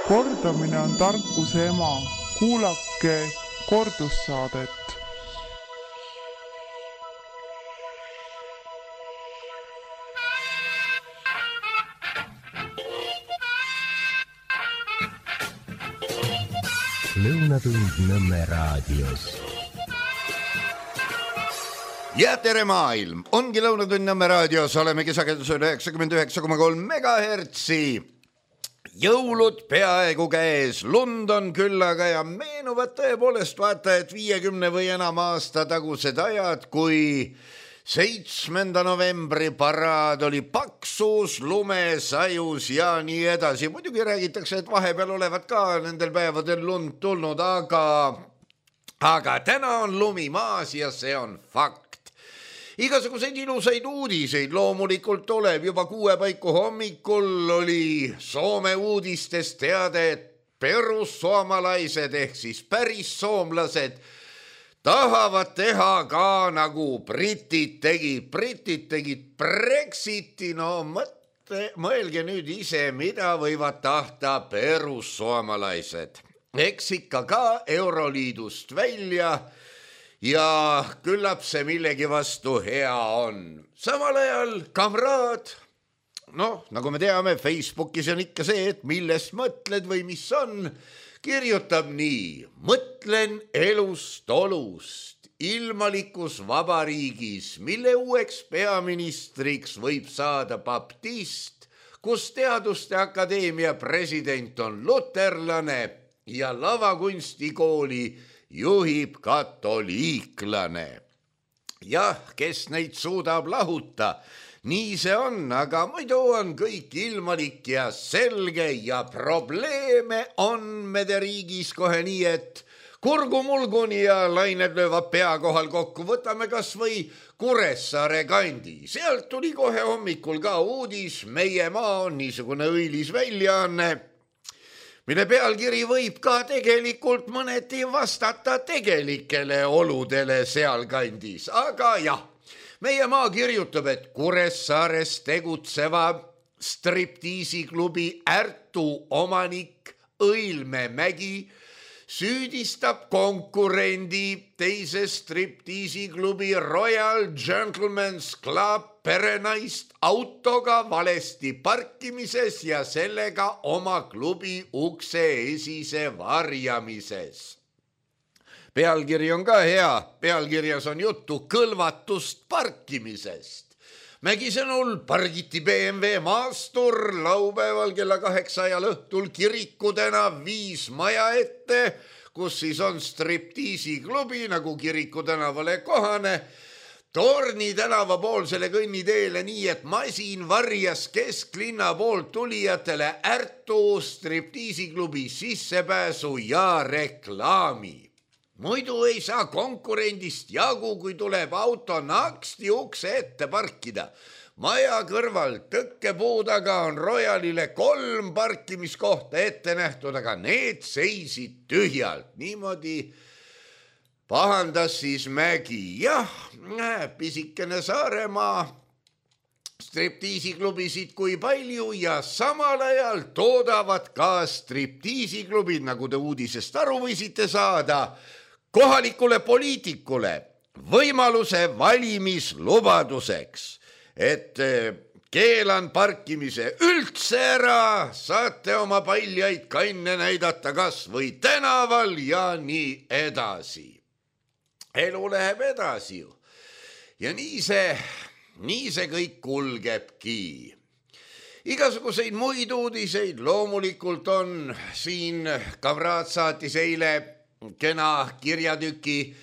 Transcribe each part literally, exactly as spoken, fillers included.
Kordamine on tarkuse ema. Kuulake kordussaadet. Lõunatund Nõmme raadios. Ja tere maailm! Ongi Lõunatund Nõmme raadios. Olemegi sagedusel üheksakümmend üheksa koma kolm megahertsi. Jõulud peaaegu käes, lund on küllaga ja meenuvad tõepoolest vaata, et viiekümne või enam aasta tagused ajad, kui seitsmenda novembri paraad oli paksus, lumes, ajus ja nii edasi. Muidugi räägitakse, et vahepeal olevat ka nendel päevadel lund tulnud, aga, aga täna on lumi maas ja see on fakt. Igasuguseid ilusaid uudiseid loomulikult tuleb. Juba kuue paiku hommikul oli Soome uudistes teade, et perussoomalaised ehk siis päris soomlased tahavad teha ka nagu britid tegid. Britid tegid Brexiti, no mõtle, mõelge nüüd ise, mida võivad tahta perussoomalaised. Eks ikka ka Euroliidust välja ja küllap see millegi vastu hea on. Samal ajal kamraad, noh, nagu me teame, Facebookis on ikka see, et millest mõtled või mis on, kirjutab nii. Mõtlen elust olust, ilmalikus vabariigis, mille uueks peaministriks võib saada baptist, kus Teaduste Akadeemia president on luterlane ja lavakunstikooli juhib katoliiklane. Jah, kes neid suudab lahuta, nii see on, aga muidu on kõik ilmalik ja selge ja probleeme on mede riigis kohe nii, et kurgumulguni ja lained löövad pea kohal kokku. Võtame kas või Kuressaare kandi. Sealt tuli kohe hommikul ka uudis, meie maa on niisugune õilis väljaanne, mille pealkiri võib ka tegelikult mõneti vastata tegelikele oludele sealkandis. Aga jah, meie maa kirjutab, et Kuressaares tegutseva striptiisiklubi Ärtu omanik Õilme Mägi süüdistab konkurendi teise striptiisiklubi Royal Gentleman's Club perenaist autoga valesti parkimises ja sellega oma klubi ukse esise varjamises. Pealkiri on ka hea, pealkirjas on juttu kõlvatust parkimisest. Mägi sõnul pargiti B M W maastur laupäeval kella kaheksa ajal õhtul Kiriku tänav viis maja ette, kus siis on striptiisiklubi nagu Kiriku tänavale kohane, Torni tänava poolsele kõnniteele nii, et masin varjas kesklinna poolt tulijatele Ärtu striptiisiklubi sissepääsu ja reklaami. Muidu ei saa konkurendist jagu, kui tuleb auto naksti ukse ette parkida. Maja kõrval tõkkepuudaga on Royalile kolm parkimiskohta ette nähtud, aga need seisid tühjalt. Niimoodi pahandas siis Mägi. Jah, pisikene Saaremaa striptiisiklubisid kui palju ja samal ajal toodavad ka striptiisiklubid, nagu te uudisest aru võisite saada, kohalikule poliitikule võimaluse valimislubaduseks, et keelan parkimise üldse ära, saate oma paljaid kanne näidata kas või tänaval ja nii edasi. Elu läheb edasi ju. Ja nii see, nii see kõik kulgebki. Igasuguseid muid uudiseid loomulikult on siin. Kamraad saatis eile kena kirjatüki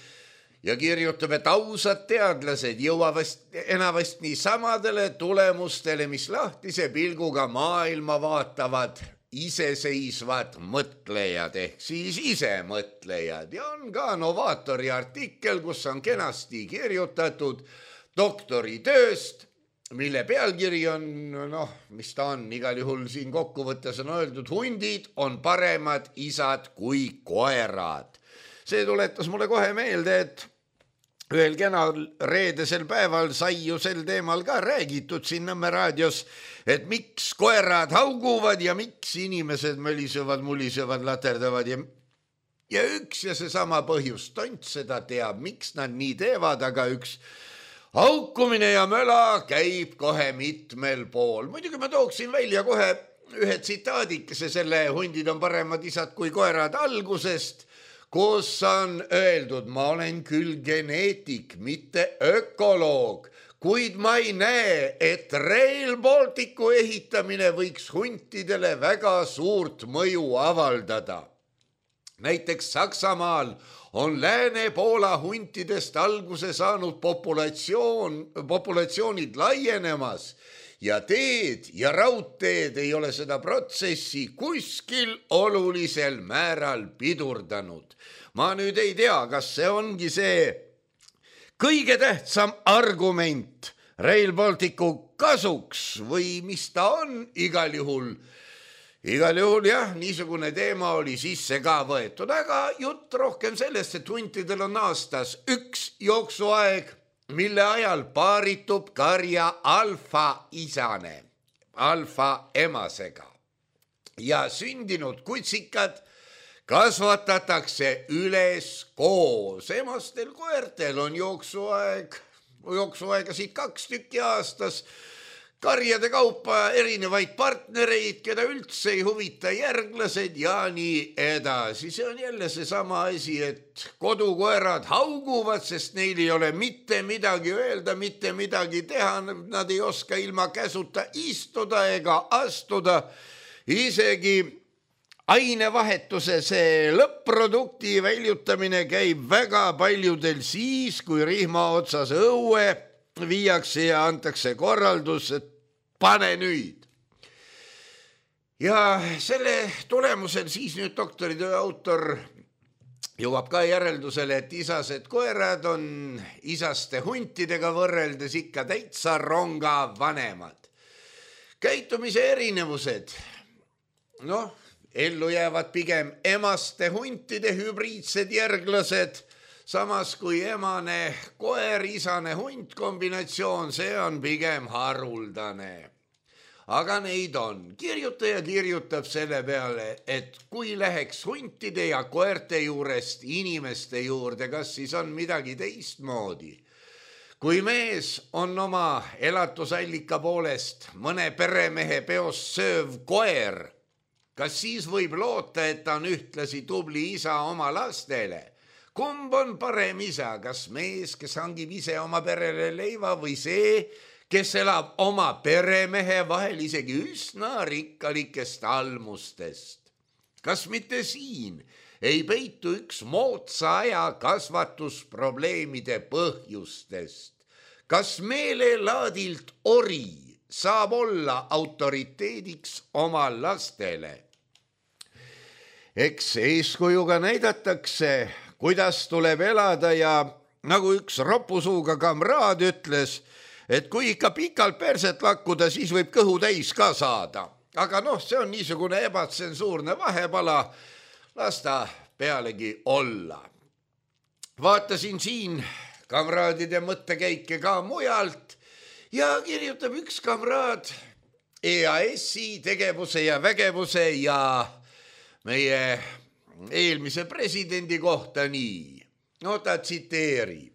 ja kirjutab, et ausad teadlased jõuavad enavast nii samadele tulemustele, mis lahtise pilguga maailma vaatavad iseseisvad mõtlejad ehk siis isemõtlejad. Ja on ka Novaatori artikkel, kus on kenasti kirjutatud doktoritööst, mille pealkiri on, noh, mis ta on, igal juhul siin kokkuvõttes on öeldud, hundid on paremad isad kui koerad. See tuletas mulle kohe meelde, et ühel kenal reedesel päeval sai ju sel teemal ka räägitud siin Nõmme raadios, et miks koerad hauguvad ja miks inimesed mölisevad, mulisevad, laterdavad ja, ja üks ja seesama põhjus, tont seda teab, miks nad nii teevad, aga üks haukumine ja möla käib kohe mitmel pool. Muidugi ma tooksin välja kohe ühe tsitaadikese selle Hundid on paremad isad kui koerad algusest, kus on öeldud, ma olen küll geneetik, mitte ökoloog, kuid ma ei näe, et Rail Balticu ehitamine võiks huntidele väga suurt mõju avaldada. Näiteks Saksamaal on Lääne-Poola huntidest alguse saanud populatsioon, populatsioonid laienemas ja teed ja raudteed ei ole seda protsessi kuskil olulisel määral pidurdanud. Ma nüüd ei tea, kas see ongi see kõige tähtsam argument Rail Balticu kasuks või mis ta on, igal juhul. Igal juhul jah, niisugune teema oli sisse ka võetud, aga jutt rohkem sellest, et huntidel on aastas üks jooksuaeg, mille ajal paaritub karja alfa isane, alfa emasega ja sündinud kutsikad kasvatatakse üles koos. Emastel koertel on jooksuaeg, jooksuaegasid kaks tükki aastas, karjade kaupa erinevaid partnereid, keda üldse ei huvita järglased ja nii edasi. See on jälle seesama asi, et kodukoerad hauguvad, sest neil ei ole mitte midagi öelda, mitte midagi teha. Nad ei oska ilma käsuta istuda ega astuda. Isegi ainevahetuse see lõpp-produkti väljutamine käib väga paljudel siis, kui rihma otsas õue viiakse ja antakse korraldus, et pane nüüd. Ja selle tulemusel siis nüüd doktoritöö autor jõuab ka järeldusele, et isased koerad on isaste huntidega võrreldes ikka täitsa ronga vanemad. Käitumise erinevused, noh, ellu jäävad pigem emaste huntide hübriidsed järglased, samas kui emane koer, isane hunt kombinatsioon, see on pigem haruldane. Aga neid on. Kirjutaja kirjutab selle peale, et kui läheks huntide ja koerte juurest inimeste juurde, kas siis on midagi teistmoodi? Kui mees on oma elatusallika poolest mõne peremehe peos sööv koer, kas siis võib loota, et ta on ühtlasi tubli isa oma lastele? Kumb on parem isa, kas mees, kes hangib ise oma perele leiva või see, kes elab oma peremehe vahel isegi üsna rikkalikest almustest? Kas mitte siin ei peitu üks moodsa aja kasvatusprobleemide põhjustest? Kas meelelaadilt ori saab olla autoriteediks oma lastele? Eks eeskujuga näidatakse, kuidas tuleb elada ja nagu üks ropusuuga kamraad ütles, et kui ikka pikalt perset lakkuda, siis võib kõhu täis ka saada. Aga noh, see on niisugune ebatsensuurne vahepala, las ta pealegi olla. Vaatasin siin kamraadide mõttekäike ka mujalt ja kirjutab üks kamraad E A S-i tegevuse ja vägevuse ja meie eelmise presidendi kohta nii. No ta tsiteerib.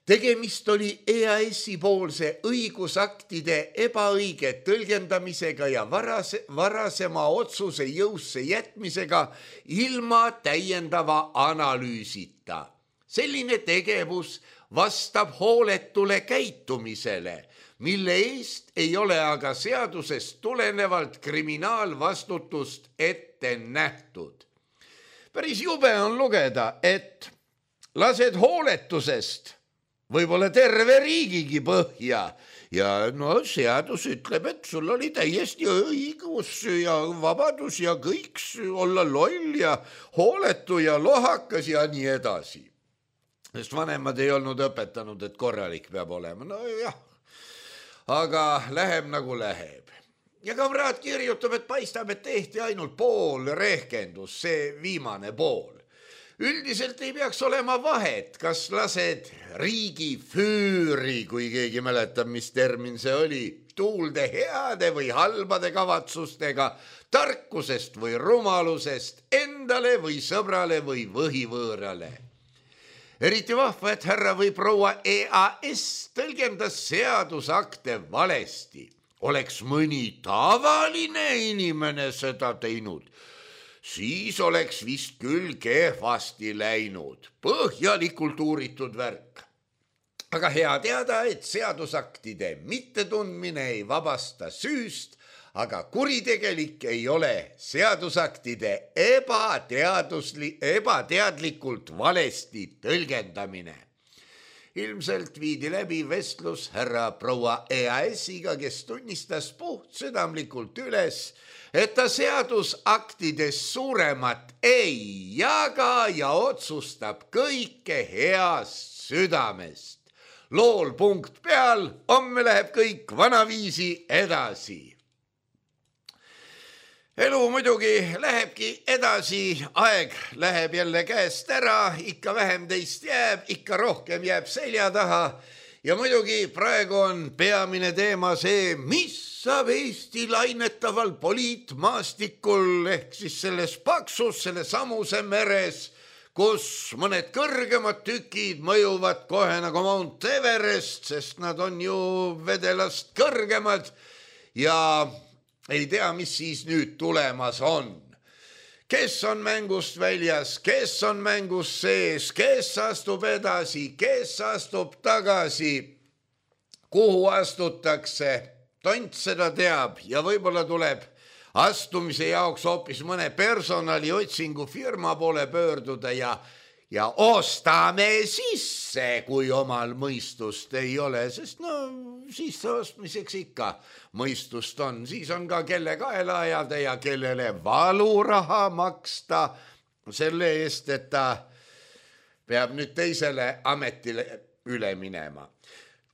Tegemist oli E A S-i poolse õigusaktide ebaõige tõlgendamisega ja varase, varasema otsuse jõusse jätmisega ilma täiendava analüüsita. Selline tegevus vastab hooletule käitumisele, mille eest ei ole aga seadusest tulenevalt kriminaalvastutust ette nähtud. Päris jube on lugeda, et lased hooletusest võib-olla terve riigigi põhja ja no seadus ütleb, et sul oli täiesti õigus ja vabadus ja kõik olla loll ja hooletu ja lohakas ja nii edasi. Sest vanemad ei olnud õpetanud, et korralik peab olema. No jah, aga läheb nagu läheb. Ja kamraad kirjutab, et paistab, et tehti ainult pool rehkendus, see viimane pool. üldiselt ei peaks olema vahet, kas lased riigi füüri, kui keegi mäletab, mis termin see oli, tuulde heade või halbade kavatsustega, tarkusest või rumalusest, endale või sõbrale või võhivõõrale. Eriti vahva, et härra või proua E A S tõlgendas seadusakte valesti. Oleks mõni tavaline inimene seda teinud, siis oleks vist küll kehvasti läinud, põhjalikult uuritud värk. Aga hea teada, et seadusaktide mittetundmine ei vabasta süüst, aga kuritegelik ei ole seadusaktide ebateadusli, ebateadlikult valesti tõlgendamine. Ilmselt viidi läbi vestlus härra proua E A S-iga, kes tunnistas puht südamlikult üles, et ta seadusaktides suuremat ei jaga ja otsustab kõike heast südamest. Lool punkt peal, homme läheb kõik vanaviisi edasi. Elu muidugi lähebki edasi, aeg läheb jälle käest ära, ikka vähem teist jääb, ikka rohkem jääb selja taha ja muidugi praegu on peamine teema see, mis saab Eesti lainetaval poliitmaastikul ehk siis selles paksus, selle samuse meres, kus mõned kõrgemad tükid mõjuvad kohe nagu Mount Everest, sest nad on ju vedelast kõrgemad ja ei tea, mis siis nüüd tulemas on. Kes on mängust väljas, kes on mängus sees, kes astub edasi, kes astub tagasi, kuhu astutakse, tont seda teab ja võib-olla tuleb astumise jaoks hoopis mõne personali otsingu firma poole pöörduda ja Ja ostame sisse, kui omal mõistust ei ole, sest no sisse ostmiseks ikka mõistust on. Siis on ka kelle kaela ajada ja kellele valuraha maksta selle eest, et ta peab nüüd teisele ametile üle minema.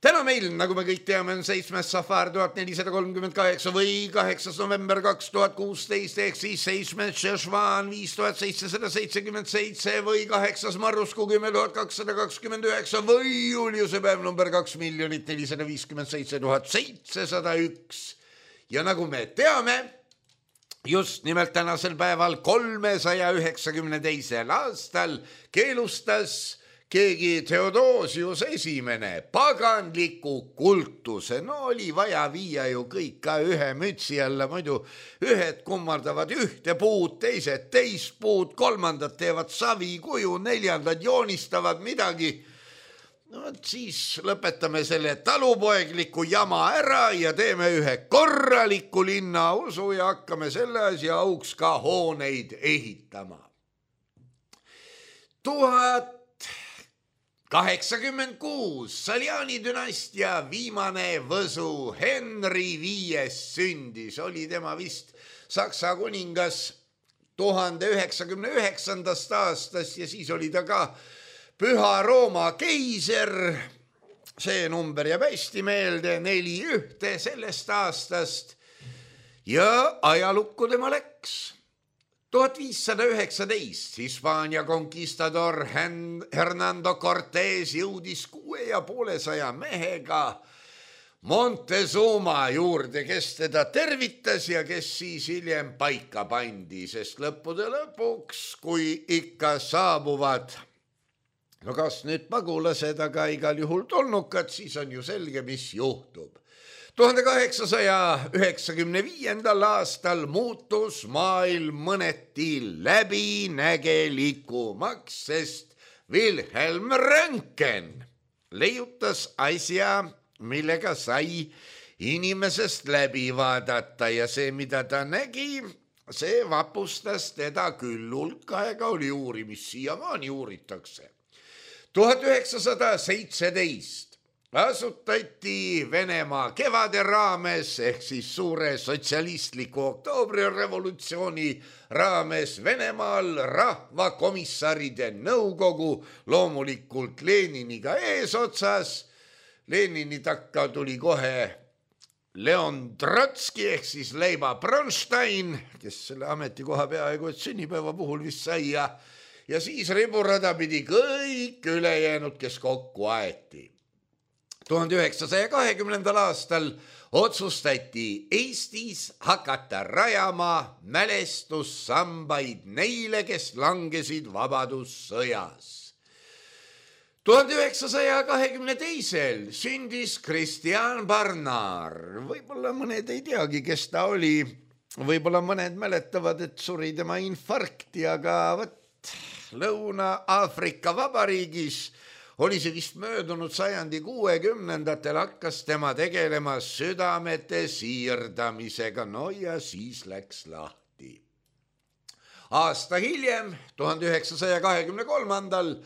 Täna meil, nagu me kõik teame, on seitsmes safar tuhat nelisada kolmkümmend kaheksa või kaheksas november kaks tuhat kuusteist ehk siis seitsmes šešvan viis tuhat seitsesada seitsekümmend seitse või kaheksas marrusku kümme tuhat kakssada kakskümmend üheksa või juuliuse päev number kaks miljonit nelisada viiskümmend seitse tuhat seitsesada üks. Ja nagu me teame, just nimelt tänasel päeval kolmesaja üheksakümne teisel aastal keelustas keegi Theodosius esimene paganliku kultuse. No oli vaja viia ju kõik ka ühe mütsi alla, muidu ühed kummardavad ühte puud, teised teist puud, kolmandad teevad savikuju, neljandad joonistavad midagi. No siis lõpetame selle talupoegliku jama ära ja teeme ühe korraliku linnausu ja hakkame selle asja auks ka hooneid ehitama. Tuhat kaheksakümmend kuus Saljani dünastia viimane võsu Henri viies sündis, oli tema vist Saksa kuningas tuhande üheksakümne üheksandast aastast ja siis oli ta ka Püha Rooma keiser. See number jääb hästi meelde, neli ühte sellest aastast ja ajalukku tema läks. tuhat viissada üheksateist Hispaania konkistador Hernando Cortés jõudis kuue ja poolesaja mehega Montezuma juurde, kes teda tervitas ja kes siis hiljem paika pandi, sest lõppude lõpuks, kui ikka saabuvad, no kas nüüd pagulased, aga igal juhul tulnukad, siis on ju selge, mis juhtub. tuhande kaheksasaja üheksakümne viiendal aastal muutus maailm mõneti läbinägelikumaks, sest Wilhelm Röntgen leiutas asja, millega sai inimesest läbi vaadata ja see, mida ta nägi, see vapustas teda küll. Hulk aega oli uurimist, siiamaani uuritakse. tuhat üheksasada seitseteist asutati Venemaa kevade raames ehk siis suure sotsialistliku oktoobrirevolutsiooni raames Venemaal rahvakomissaride nõukogu, loomulikult Leniniga eesotsas. Lenini takka tuli kohe Leon Trotski ehk siis Leiba Bronstein, kes selle ametikoha peaaegu et sünnipäeva puhul vist sai ja ja siis riburada pidi kõik ülejäänud, kes kokku aeti. tuhande üheksasaja kahekümnendal aastal otsustati Eestis hakata rajama mälestussambaid neile, kes langesid vabadussõjas. tuhande üheksasaja kahekümne teisel sündis Kristjan Barnard. Võib-olla mõned ei teagi, kes ta oli. Võib-olla mõned mäletavad, et suri tema infarkti, aga võt, Lõuna-Aafrika Vabariigis oli see vist möödunud sajandi kuuekümnendatel hakkas tema tegelema südamete siirdamisega. No ja siis läks lahti. Aasta hiljem, tuhande üheksasaja kahekümne kolmandal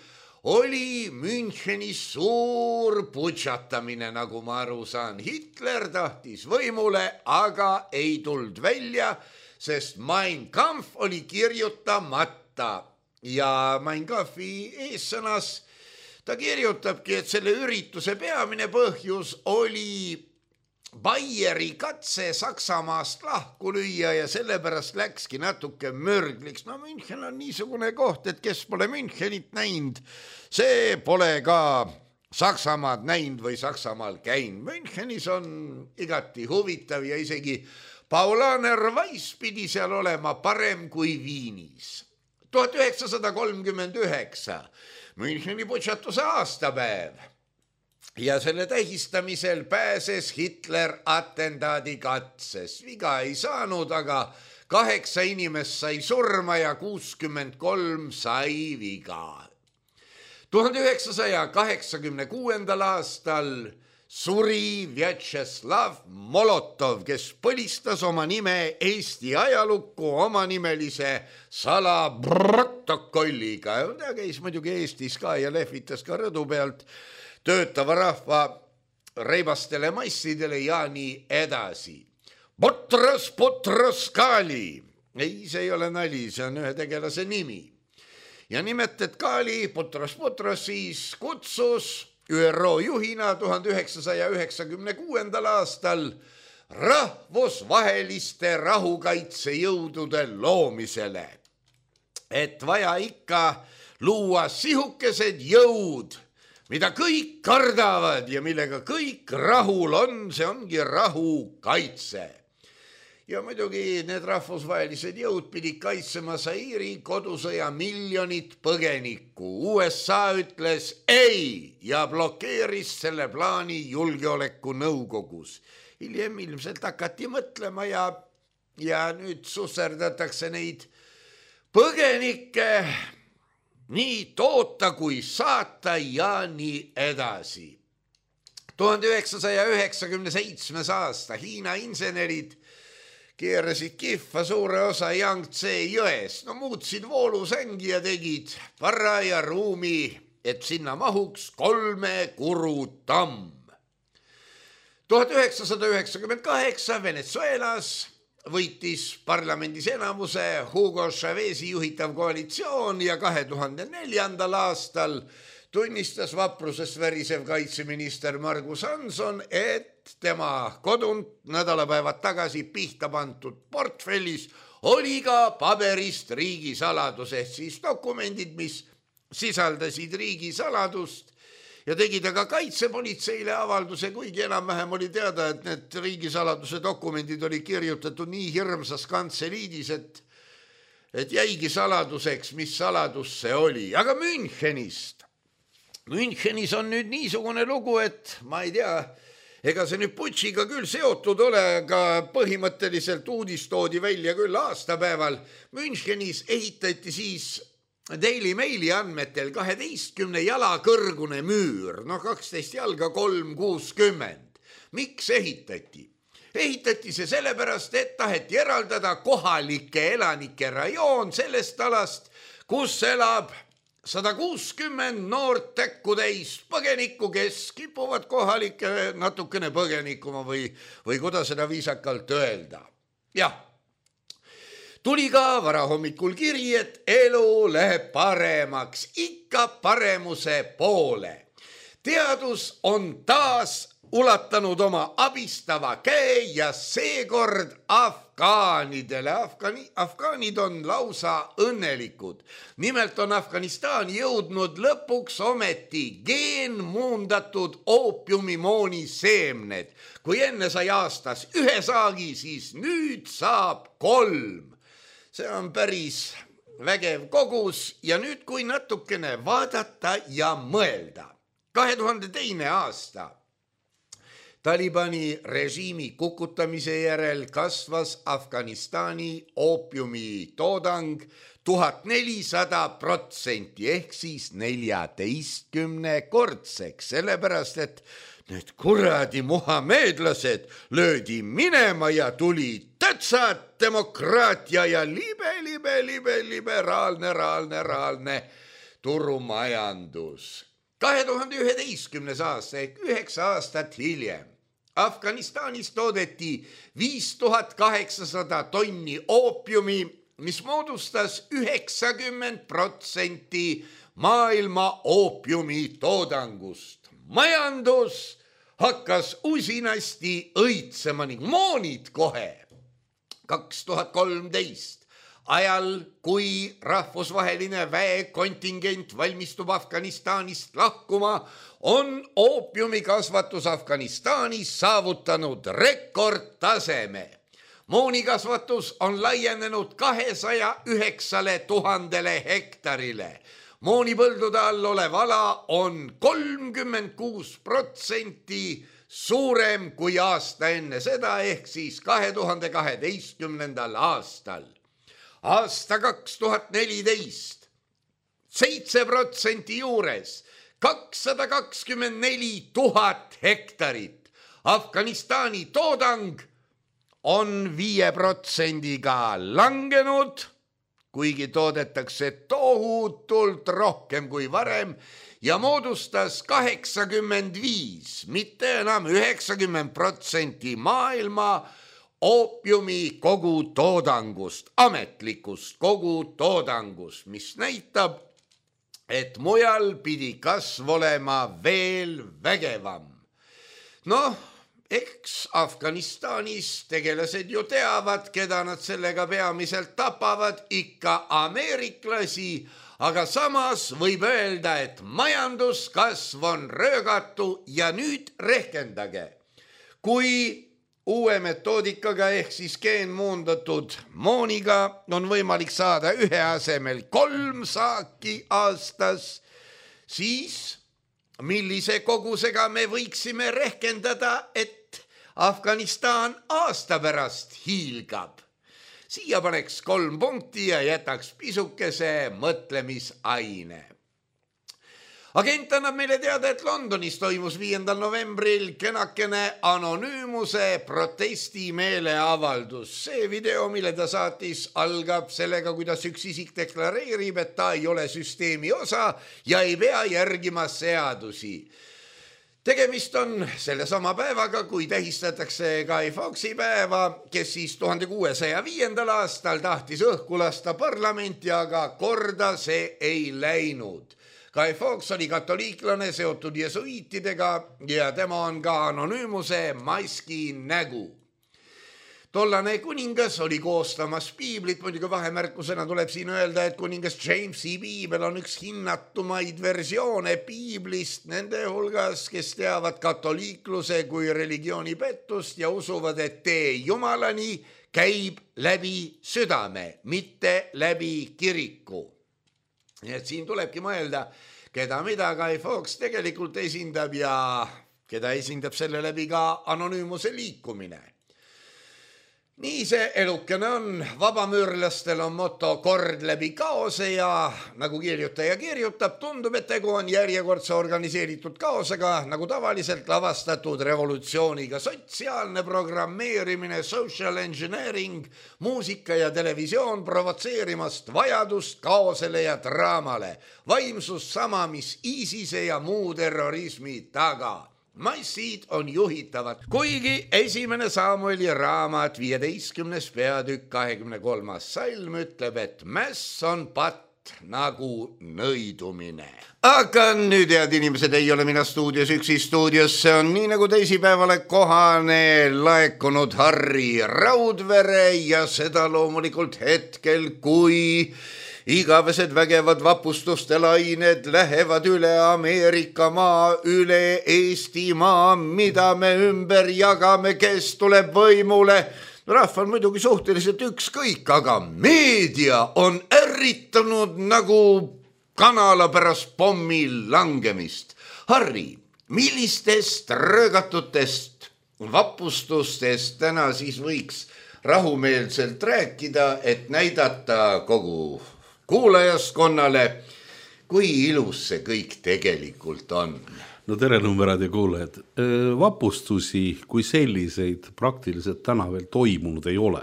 oli Münchenis suur putšatamine, nagu ma aru saan. Hitler tahtis võimule, aga ei tuld välja, sest Mein Kampf oli kirjutamata ja Mein Kampfi eessõnas ta kirjutabki, et selle ürituse peamine põhjus oli Bayeri katse Saksamaast lahku lüüa ja sellepärast läkski natuke mürgliks. No München on niisugune koht, et kes pole Münchenit näinud, see pole ka Saksamaad näinud või Saksamaal käinud. Münchenis on igati huvitav ja isegi Paulaner Weiss pidi seal olema parem kui Viinis. tuhat üheksasada kolmkümmend üheksa Müncheni putšatuse aastapäev ja selle tähistamisel pääses Hitler atendaadi katses. Viga ei saanud, aga kaheksa inimest sai surma ja kuuskümmend kolm sai viga. tuhande üheksasaja kaheksakümne kuuendal aastal suri Vjatšeslav Molotov, kes põlistas oma nime Eesti ajalukku omanimelise salaprotokolliga. Ta käis muidugi Eestis ka ja lehvitas ka rõdu pealt töötava rahva reibastele massidele ja nii edasi. Potras, potras Kali. Ei, see ei ole nali, see on ühe tegelase nimi. Ja nimet, et Kali, potras, potras siis kutsus Ü R O juhina tuhande üheksasaja üheksakümne kuuendal aastal rahvusvaheliste rahukaitsejõudude loomisele. Et vaja ikka luua sihukesed jõud, mida kõik kardavad ja millega kõik rahul on, see ongi rahukaitse. Ja muidugi need rahvusvahelised jõud pidid kaitsema Zairi kodusõja miljonit põgenikku. U S A ütles ei ja blokeeris selle plaani julgeoleku nõukogus. Hiljem ilmselt hakati mõtlema ja, ja nüüd susserdatakse neid põgenikke nii toota kui saata ja nii edasi. tuhande üheksasaja üheksakümne seitsmes aasta Hiina insenerid keerasid kihva suure osa Yangtze jões. No muutsid voolusängi ja tegid paraja ruumi, et sinna mahuks kolme kuru tamm. tuhat üheksasada üheksakümmend kaheksa Venezuelas võitis parlamendis enamuse Hugo Chavez'i juhitav koalitsioon ja kahe tuhande neljandal aastal tunnistas vaprusest värisev kaitseminister Margus Hanson, et tema kodunt nädalapäevad tagasi pihta pandud portfellis oli ka paberist riigisaladus, ehk siis dokumendid, mis sisaldasid riigisaladust ja tegi ta ka kaitsepolitseile avalduse, kuigi enam-vähem oli teada, et need riigisaladuse dokumendid oli kirjutatud nii hirmsas kantseliidis, et, et jäigi saladuseks, mis saladus see oli. Aga Münchenist. Münchenis on nüüd niisugune lugu, et ma ei tea, ega see nüüd putšiga küll seotud ole, aga põhimõtteliselt uudis toodi välja küll aastapäeval. Münchenis ehitati siis Daily Maili andmetel kaheteistkümne jala kõrgune müür, no kaksteist jalga kolm kuuskümmend. Miks ehitati? Ehitati see sellepärast, et taheti eraldada kohalike elanike rajoon sellest alast, kus elab sada kuuskümmend noort täkkutäis põgenikku, kes kipuvad kohalike natukene põgenikuma või, või kuidas seda viisakalt öelda. Jah, tuli ka varahommikul kiri, et elu läheb paremaks, ikka paremuse poole. Teadus on taas ulatanud oma abistava käe ja seekord afgaanidele. Afgaani, afgaanid on lausa õnnelikud. Nimelt on Afganistan jõudnud lõpuks ometi geenmuundatud oopiumimooni seemned. Kui enne sai aastas ühe saagi, siis nüüd saab kolm. See on päris vägev kogus ja nüüd kui natukene vaadata ja mõelda. kahe tuhande teine aasta Talibani režiimi kukutamise järel kasvas Afganistani oopiumi toodang tuhat nelisada protsenti ehk siis neljateistkümne kordseks, sellepärast et need kuradi muhameedlased löödi minema ja tuli tätsad demokraatia ja libe, libe, libe, liberaalne, raalne, raalne turumajandus. kahe tuhande üheteistkümnes aasta ehk üheksa aastat hiljem Afganistanis toodeti viis tuhat kaheksasada tonni oopiumi, mis moodustas üheksakümmend protsenti maailma oopiumi toodangust. Majandus hakkas usinasti õitsema ning moonid kohe. kaks tuhat kolmteist ajal, kui rahvusvaheline väekontingent valmistub Afganistanist lahkuma, on oopiumikasvatus Afganistanis saavutanud rekordtaseme. Moonikasvatus on laienenud kahesaja üheksale tuhandele hektarile. Moonipõldude all olev ala on kolmkümmend kuus protsenti suurem kui aasta enne seda ehk siis kahe tuhande kaheteistkümnendal aastal. Aasta kaks tuhat neliteist, seitse protsenti juures, kakssada kakskümmend neli tuhat hektarit. Afganistani toodang on viie protsendiga langenud, kuigi toodetakse tohutult rohkem kui varem ja moodustas kaheksakümmend viis, mitte enam üheksakümmend protsenti maailma oopiumi kogu toodangust, ametlikust kogu toodangust, mis näitab, et mujal pidi kasv olema veel vägevam. Noh, eks Afganistanis tegelased ju teavad, keda nad sellega peamiselt tapavad, ikka ameeriklasi, aga samas võib öelda, et majanduskasv on röögatu ja nüüd rehkendage. Kui uue metoodikaga ehk siis geenmuundatud mooniga on võimalik saada ühe asemel kolm saaki aastas, siis millise kogusega me võiksime rehkendada, et Afganistan aasta pärast hiilgab? Siia paneks kolm punkti ja jätaks pisukese mõtlemisaine. Agent annab meile teada, et Londonis toimus viiendal novembril kenakene anonüümuse protesti meeleavaldus. See video, mille ta saatis, algab sellega, kuidas üks isik deklareerib, et ta ei ole süsteemi osa ja ei pea järgima seadusi. Tegemist on selle sama päevaga, kui tähistatakse Guy Fawkesi päeva, kes siis tuhande kuuesaja viiendal aastal tahtis õhku lasta parlamenti, aga korda see ei läinud. Guy Fawkes oli katoliiklane seotud jesuiitidega ja tema on ka anonüümuse maski nägu. Tollane kuningas oli koostamas piiblit, muidugi vahemärkusena tuleb siin öelda, et kuningas Jamesi piibel on üks hinnatumaid versioone piiblist nende hulgas, kes teavad katoliikluse kui religiooni pettust ja usuvad, et tee Jumalani käib läbi südame, mitte läbi kiriku. Nii et siin tulebki mõelda, keda mida Guy Fawkes tegelikult esindab ja keda esindab selle läbi ka anonüümuse liikumine. Nii see elukene on, vabamüürlastel on moto kord läbi kaose ja nagu kirjutaja kirjutab, tundub, et tegu on järjekordse organiseeritud kaosega, nagu tavaliselt lavastatud revolutsiooniga. Sotsiaalne programmeerimine, social engineering, muusika ja televisioon provotseerimast vajadust kaosele ja draamale. Vaimsus sama, mis ISISe ja muu terrorismi taga. Massid on juhitavad, kuigi esimene Samueli raamat viieteistkümnes peatükk kahekümne kolmas salm ütleb, et mäss on patt nagu nõidumine. Aga nüüd, head inimesed, ei ole mina stuudios üksi, stuudiosse on nii nagu teisipäevale kohane laekunud Harri Raudvere ja seda loomulikult hetkel, kui igavesed vägevad vapustuste lained lähevad üle Ameerika maa, üle Eesti maa, mida me ümber jagame, kes tuleb võimule. Rahval muidugi suhteliselt ükskõik, aga meedia on ärritanud nagu kanala pärast pommi langemist. Harri, millistest röögatutest vapustustest täna siis võiks rahumeelselt rääkida, et näidata kogu kuulajaskonnale, kui ilus see kõik tegelikult on? No tere numberad ja kuulajad. Vapustusi kui selliseid praktiliselt täna veel toimunud ei ole.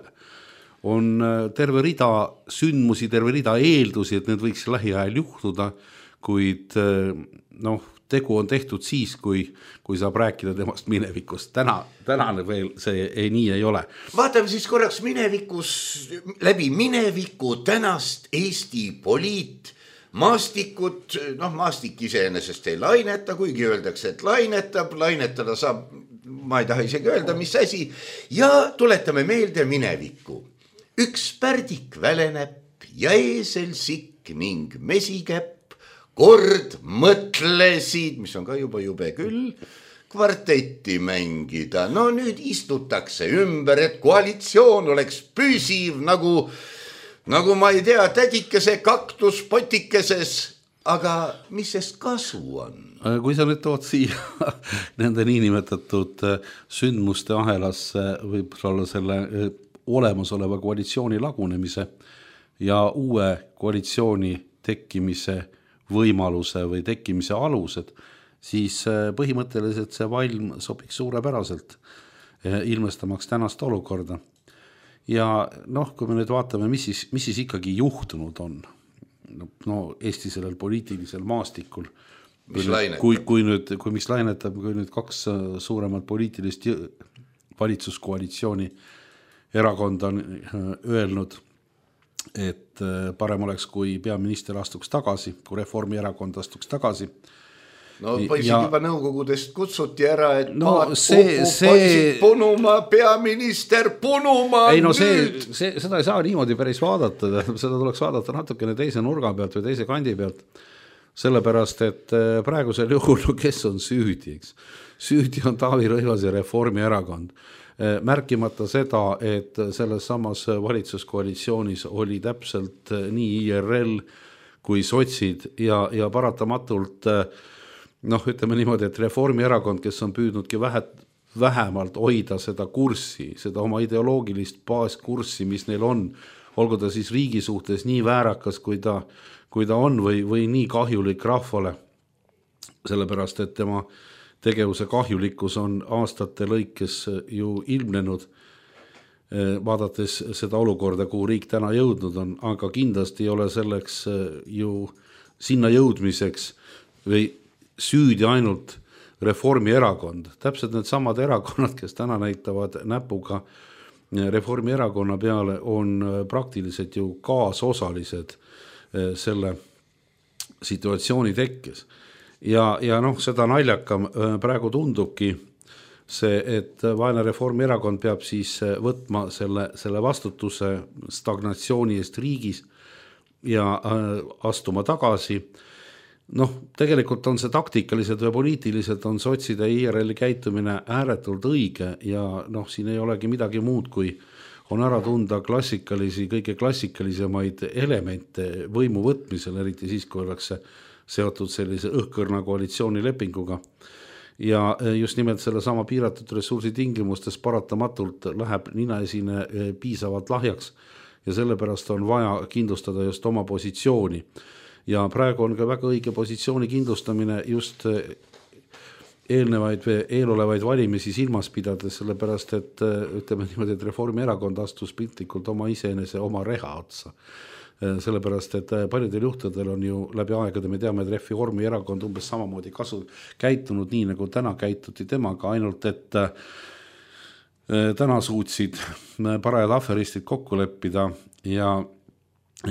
On terve rida sündmusi, terve rida eeldusi, et need võiks lähiajal juhtuda, kuid noh, tegu on tehtud siis, kui, kui saab rääkida temast minevikust. Täna, tänane veel see ei, nii ei ole. Vaatame siis korraks minevikus, läbi mineviku tänast Eesti poliit, maastikut, noh maastik iseenesest ei laineta, kuigi öeldakse, et lainetab, lainetada saab, ma ei taha isegi öelda, mis asi, ja tuletame meelde minevikku. Üks pärdik väleneb ja eesel sikk ning mesikäpp kord mõtlesid, mis on ka juba jube küll, kvartetti mängida. No nüüd istutakse ümber, et koalitsioon oleks püsiv nagu Nagu ma ei tea, tädikese kaktus potikeses, aga mis sest kasu on? Kui sa nüüd tood siia nende niinimetatud sündmuste ahelasse võib olla selle olemasoleva koalitsiooni lagunemise ja uue koalitsiooni tekkimise võimaluse või tekkimise alused, siis põhimõtteliselt see valm sobiks suurepäraselt ilmestamaks tänast olukorda. Ja noh, kui me nüüd vaatame, mis siis, mis siis ikkagi juhtunud on no, Eesti sellel poliitilisel maastikul, mis kui, kui, kui, nüüd, kui mis lainetab, kui nüüd kaks suuremat poliitilist valitsuskoalitsiooni erakonda on öelnud, et parem oleks, kui peaminister astuks tagasi, kui Reformierakond astuks tagasi. No poisid ja, juba nõukogudest kutsuti ära, et no, paat see, pupu, see... poisid punuma, peaminister punuma. Ei no see, see, seda ei saa niimoodi päris vaadata, seda tuleks vaadata natukene teise nurga pealt või teise kandi pealt. Sellepärast, et praegusel juhul, kes on süüdi, eks? Süüdi on Taavi Rõivas ja Reformierakond. Märkimata seda, et selles samas valitsuskoalitsioonis oli täpselt nii I R L kui sotsid ja, ja paratamatult noh, ütleme niimoodi, et Reformierakond, kes on püüdnudki vähe, vähemalt hoida seda kurssi, seda oma ideoloogilist baaskurssi, mis neil on, olgu ta siis riigi suhtes nii väärakas, kui ta, kui ta on või, või nii kahjulik rahvale, sellepärast, et tema tegevuse kahjulikkus on aastate lõikes ju ilmnenud, vaadates seda olukorda, kuhu riik täna jõudnud on, aga kindlasti ei ole selleks ju sinna jõudmiseks või süüdi ainult Reformierakond. Täpselt need samad erakonnad, kes täna näitavad näpuga Reformierakonna peale, on praktiliselt ju kaasosalised selle situatsiooni tekkes. Ja, ja noh, seda naljakam praegu tundubki see, et vaene Reformierakond peab siis võtma selle, selle vastutuse stagnatsiooni eest riigis ja astuma tagasi. Noh, tegelikult on see taktikaliselt või poliitiliselt on sotside I R L käitumine ääretult õige ja noh, siin ei olegi midagi muud, kui on ära tunda klassikalisi, kõige klassikalisemaid elemente võimu võtmisel, eriti siis, kui oleks seotud sellise õhkõrna koalitsioonilepinguga. Ja just nimelt selle sama piiratud ressursi tingimustes paratamatult läheb ninaesine piisavalt lahjaks ja sellepärast on vaja kindlustada just oma positsiooni. Ja praegu on ka väga õige positsiooni kindlustamine just eelnevaid või eelolevaid valimisi silmas pidades, sellepärast et ütleme niimoodi, et Reformierakond astus piltlikult oma iseenese oma reha otsa. Sellepärast, et paljudel juhtudel on ju läbi aegade, me teame, et Reformierakond umbes samamoodi kasu käitunud nii, nagu täna käituti temaga, ainult et täna suutsid parajad aferistid kokku leppida ja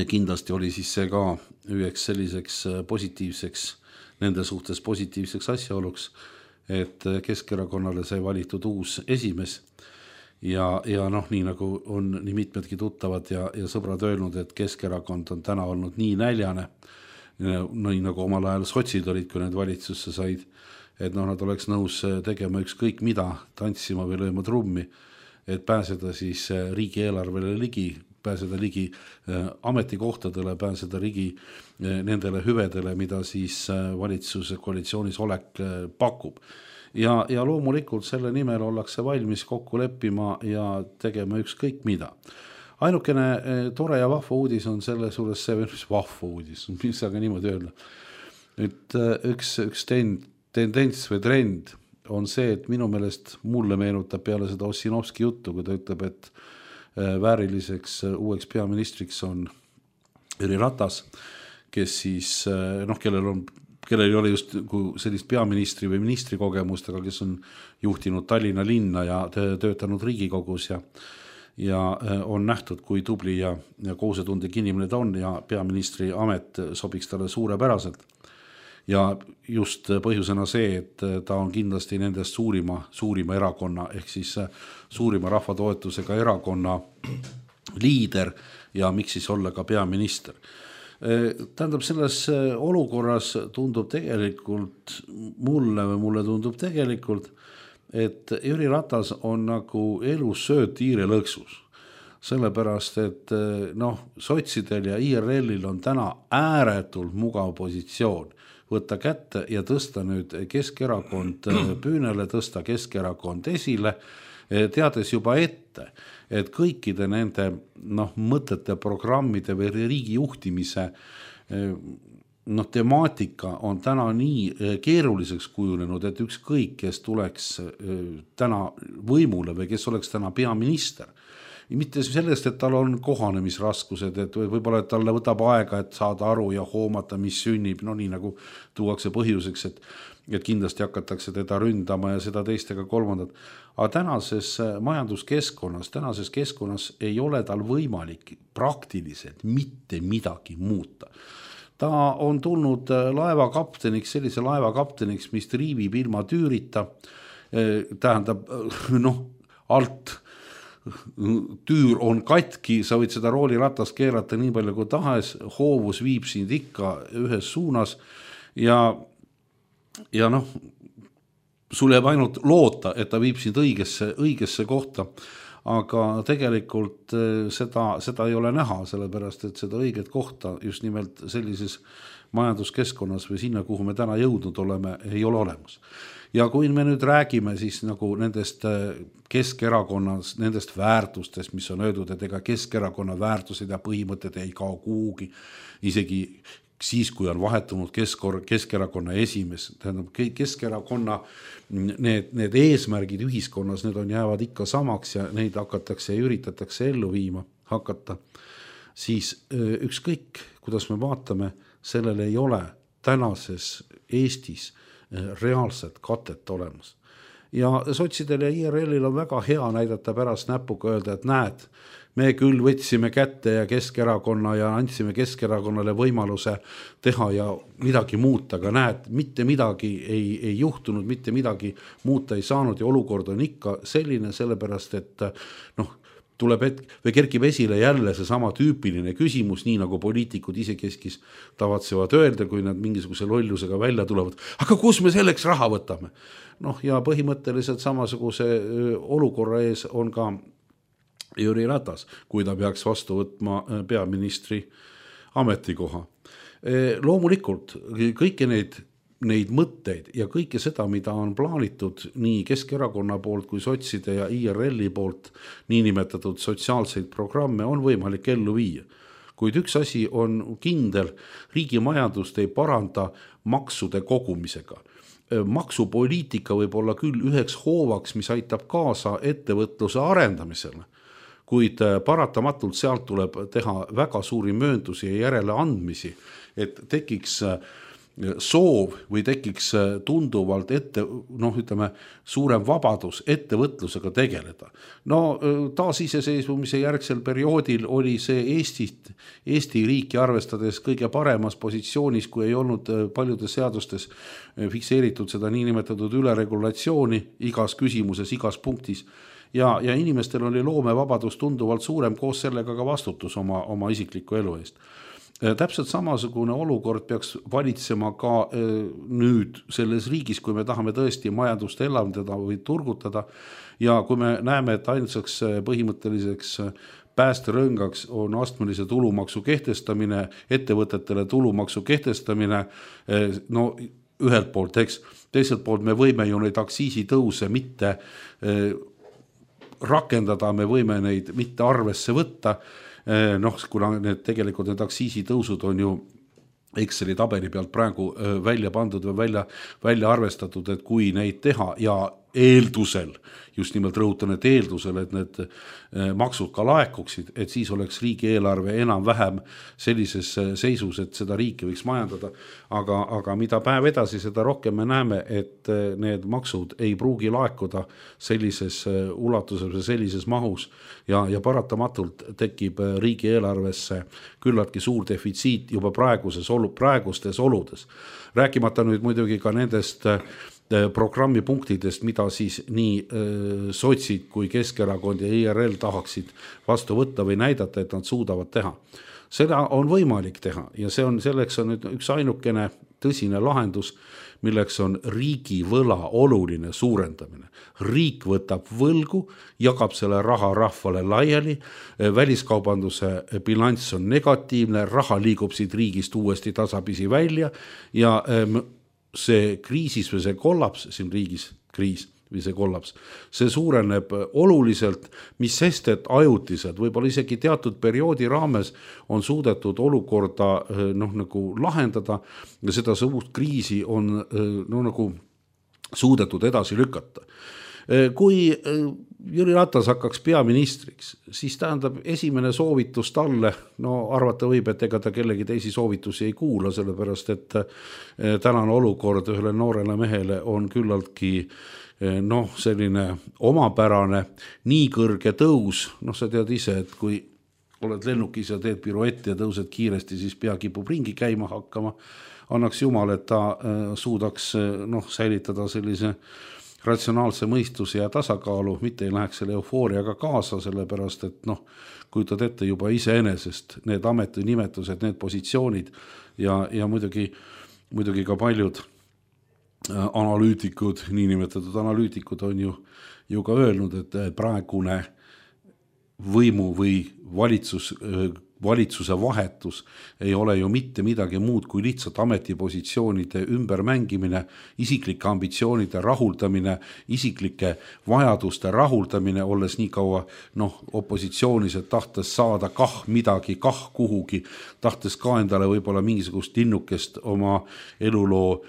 kindlasti oli siis see ka üheks selliseks positiivseks, nende suhtes positiivseks asjaoluks, et Keskerakonnale sai valitud uus esimees ja, ja noh, nii nagu on nii mitmedki tuttavad ja, ja sõbrad öelnud, et Keskerakond on täna olnud nii näljane, nii nagu omal ajal sotsid olid, kui need valitsusse said, et noh, nad oleks nõus tegema ükskõik mida, tantsima või lööma trummi, et pääseda siis riigieelarvele ligi, pääseda ligi ametikohtadele, pääseda ligi nendele hüvedele, mida siis valitsuse koalitsioonis olek pakub. Ja, ja loomulikult selle nimel ollakse valmis kokku leppima ja tegema ükskõik mida. Ainukene tore ja vahva uudis on selle suures see, mis vahva uudis, mis aga niimoodi öelda. Et üks, üks tend, tendents või trend on see, et minu meelest mulle meenutab peale seda Ossinovski juttu, kui ta ütleb, et vääriliseks uueks peaministriks on Jüri Ratas, kes siis, noh, kellel on, kellel ei ole just sellist peaministri või ministri kogemust, aga kes on juhtinud Tallinna linna ja töötanud Riigikogus ja, ja on nähtud, kui tubli ja, ja koosetundlik inimene ta on ja peaministri amet sobiks talle suurepäraselt. Ja just põhjusena see, et ta on kindlasti nendest suurima, suurima erakonna ehk siis suurima rahvatoetusega erakonna liider ja miks siis olla ka peaminister. Tähendab, selles olukorras tundub tegelikult mulle või mulle tundub tegelikult, et Jüri Ratas on nagu elus sööt tiire lõksus. Sellepärast, et noh, sotsidel ja I R L-il on täna ääretult mugav positsioon võtta kätte ja tõsta nüüd Keskerakond püünele, tõsta Keskerakond esile, teades juba ette, et kõikide nende noh, mõtete, programmide või riigi juhtimise noh, temaatika on täna nii keeruliseks kujunenud, et ükskõik, kes tuleks täna võimule või kes oleks täna peaminister. Mitte sellest, et tal on kohanemisraskused, et võib-olla et talle võtab aega, et saada aru ja hoomata, mis sünnib, no nii nagu tuuakse põhjuseks, et, et kindlasti hakatakse teda ründama ja seda teistega kolmandat. Aga tänases majanduskeskkonnas, tänases keskkonnas ei ole tal võimalik praktiliselt mitte midagi muuta. Ta on tulnud laevakapteniks, sellise laevakapteniks, mis triivib ilma tüürita, tähendab, noh, alt tüür on katki, sa võid seda rooliratast keerata nii palju kui tahes, hoovus viib sind ikka ühes suunas ja, ja noh, sul jääb ainult loota, et ta viib sind õigesse, õigesse kohta, aga tegelikult seda, seda ei ole näha, sellepärast et seda õiget kohta just nimelt sellises majanduskeskkonnas või sinna, kuhu me täna jõudnud oleme, ei ole olemas. Ja kui me nüüd räägime siis nagu nendest Keskerakonnas, nendest väärtustest, mis on öeldud, et ega Keskerakonna väärtused ja põhimõtted ei kao kuhugi, isegi siis, kui on vahetunud Keskor, Keskerakonna esimees, tähendab Keskerakonna need, need eesmärgid ühiskonnas, need on jäävad ikka samaks ja neid hakatakse ja üritatakse ellu viima hakata, siis ükskõik, kuidas me vaatame, sellel ei ole tänases Eestis reaalset katet olemas. Ja sotsidel ja I R L-il on väga hea näidata pärast näpuga öelda, et näed, me küll võtsime kätte ja Keskerakonna ja andsime Keskerakonnale võimaluse teha ja midagi muuta, aga näed, mitte midagi ei, ei juhtunud, mitte midagi muuta ei saanud ja olukord on ikka selline, sellepärast et noh, tuleb hetk, või kerkib esile jälle see sama tüüpiline küsimus, nii nagu poliitikud ise keskis tavatsevad öelda, kui nad mingisuguse lollusega välja tulevad, aga kus me selleks raha võtame? Noh, ja põhimõtteliselt samasuguse olukorra ees on ka Jüri Ratas, kui ta peaks vastu võtma peaministri ametikoha. Loomulikult kõiki neid neid mõtteid ja kõike seda, mida on plaanitud nii Keskerakonna poolt kui sotside ja I R L-i poolt niinimetatud sotsiaalseid programme on võimalik ellu viia. Kuid üks asi on kindel, riigi majandust ei paranda maksude kogumisega. Maksupoliitika võib olla küll üheks hoovaks, mis aitab kaasa ettevõtluse arendamisele, kuid paratamatult sealt tuleb teha väga suuri mööndusi ja järele andmisi, et tekiks soov või tekiks tunduvalt ette, noh ütleme, suurem vabadus ettevõtlusega tegeleda. No taasiseseisvumise järgsel perioodil oli see Eestit, Eesti riiki arvestades kõige paremas positsioonis, kui ei olnud paljudes seadustes fikseeritud seda niinimetatud üleregulatsiooni igas küsimuses, igas punktis. Ja, ja inimestel oli loomevabadus tunduvalt suurem, koos sellega ka vastutus oma, oma isikliku elu eest. Täpselt samasugune olukord peaks valitsema ka nüüd selles riigis, kui me tahame tõesti majandust elavdada või turgutada ja kui me näeme, et ainsaks põhimõtteliseks päästerõngaks on astmelise tulumaksu kehtestamine, ettevõtetele tulumaksu kehtestamine, no ühelt poolt, eks, teiselt poolt me võime ju neid aktsiisitõuse mitte rakendada, me võime neid mitte arvesse võtta, noh, kuna need tegelikult need aktsiisitõusud on ju Exceli tabeli pealt praegu välja pandud või välja, välja arvestatud, et kui neid teha ja eeldusel, just nimelt rõhutan, et eeldusel, et need maksud ka laekuksid, et siis oleks riigieelarve enam vähem sellises seisus, et seda riiki võiks majandada. Aga, aga mida päev edasi, seda rohkem me näeme, et need maksud ei pruugi laekuda sellises ulatuses või sellises mahus ja, ja paratamatult tekib riigieelarvesse küllaltki suur defitsiit juba praeguses olu, praegustes oludes. Rääkimata nüüd muidugi ka nendest programmi punktidest, mida siis nii äh, sotsid kui Keskerakond ja I R L tahaksid vastu võtta või näidata, et nad suudavad teha. Seda on võimalik teha ja see on, selleks on nüüd üks ainukene tõsine lahendus, milleks on riigi võla oluline suurendamine. Riik võtab võlgu, jagab selle raha rahvale laiali, väliskaubanduse bilanss on negatiivne, raha liigub siit riigist uuesti tasapisi välja ja äh, see kriisis või see kollaps siin riigis, kriis või see kollaps, see suureneb oluliselt, mis sest, et ajutiselt, võib-olla isegi teatud perioodi raames on suudetud olukorda noh, nagu lahendada ja seda suurt kriisi on no, nagu suudetud edasi lükata. Kui Jüri Ratas hakkaks peaministriks, siis tähendab esimene soovitus talle, no arvata võib, et ega ta kellegi teisi soovitusi ei kuula, sellepärast et tänane olukord ühele noorele mehele on küllaltki noh, selline omapärane, nii kõrge tõus, noh sa tead ise, et kui oled lennukis ja teed piruetti ja tõused kiiresti, siis pea kipub ringi käima hakkama, annaks jumal, et ta suudaks noh, säilitada sellise ratsionaalse mõistuse ja tasakaalu, mitte ei läheks selle eufooriaga kaasa, sellepärast, et noh, kujutad ette juba iseenesest need ametinimetused, need positsioonid ja, ja muidugi, muidugi ka paljud analüütikud, niinimetatud analüütikud on ju, ju ka öelnud, et praegune võimu või valitsus, valitsuse vahetus ei ole ju mitte midagi muud kui lihtsalt ametipositsioonide ümbermängimine, isiklike ambitsioonide rahuldamine, isiklike vajaduste rahuldamine, olles nii kaua noh, opositsioonis, et tahtes saada kah midagi, kah kuhugi, tahtes ka endale võib-olla mingisugust linnukest oma eluloo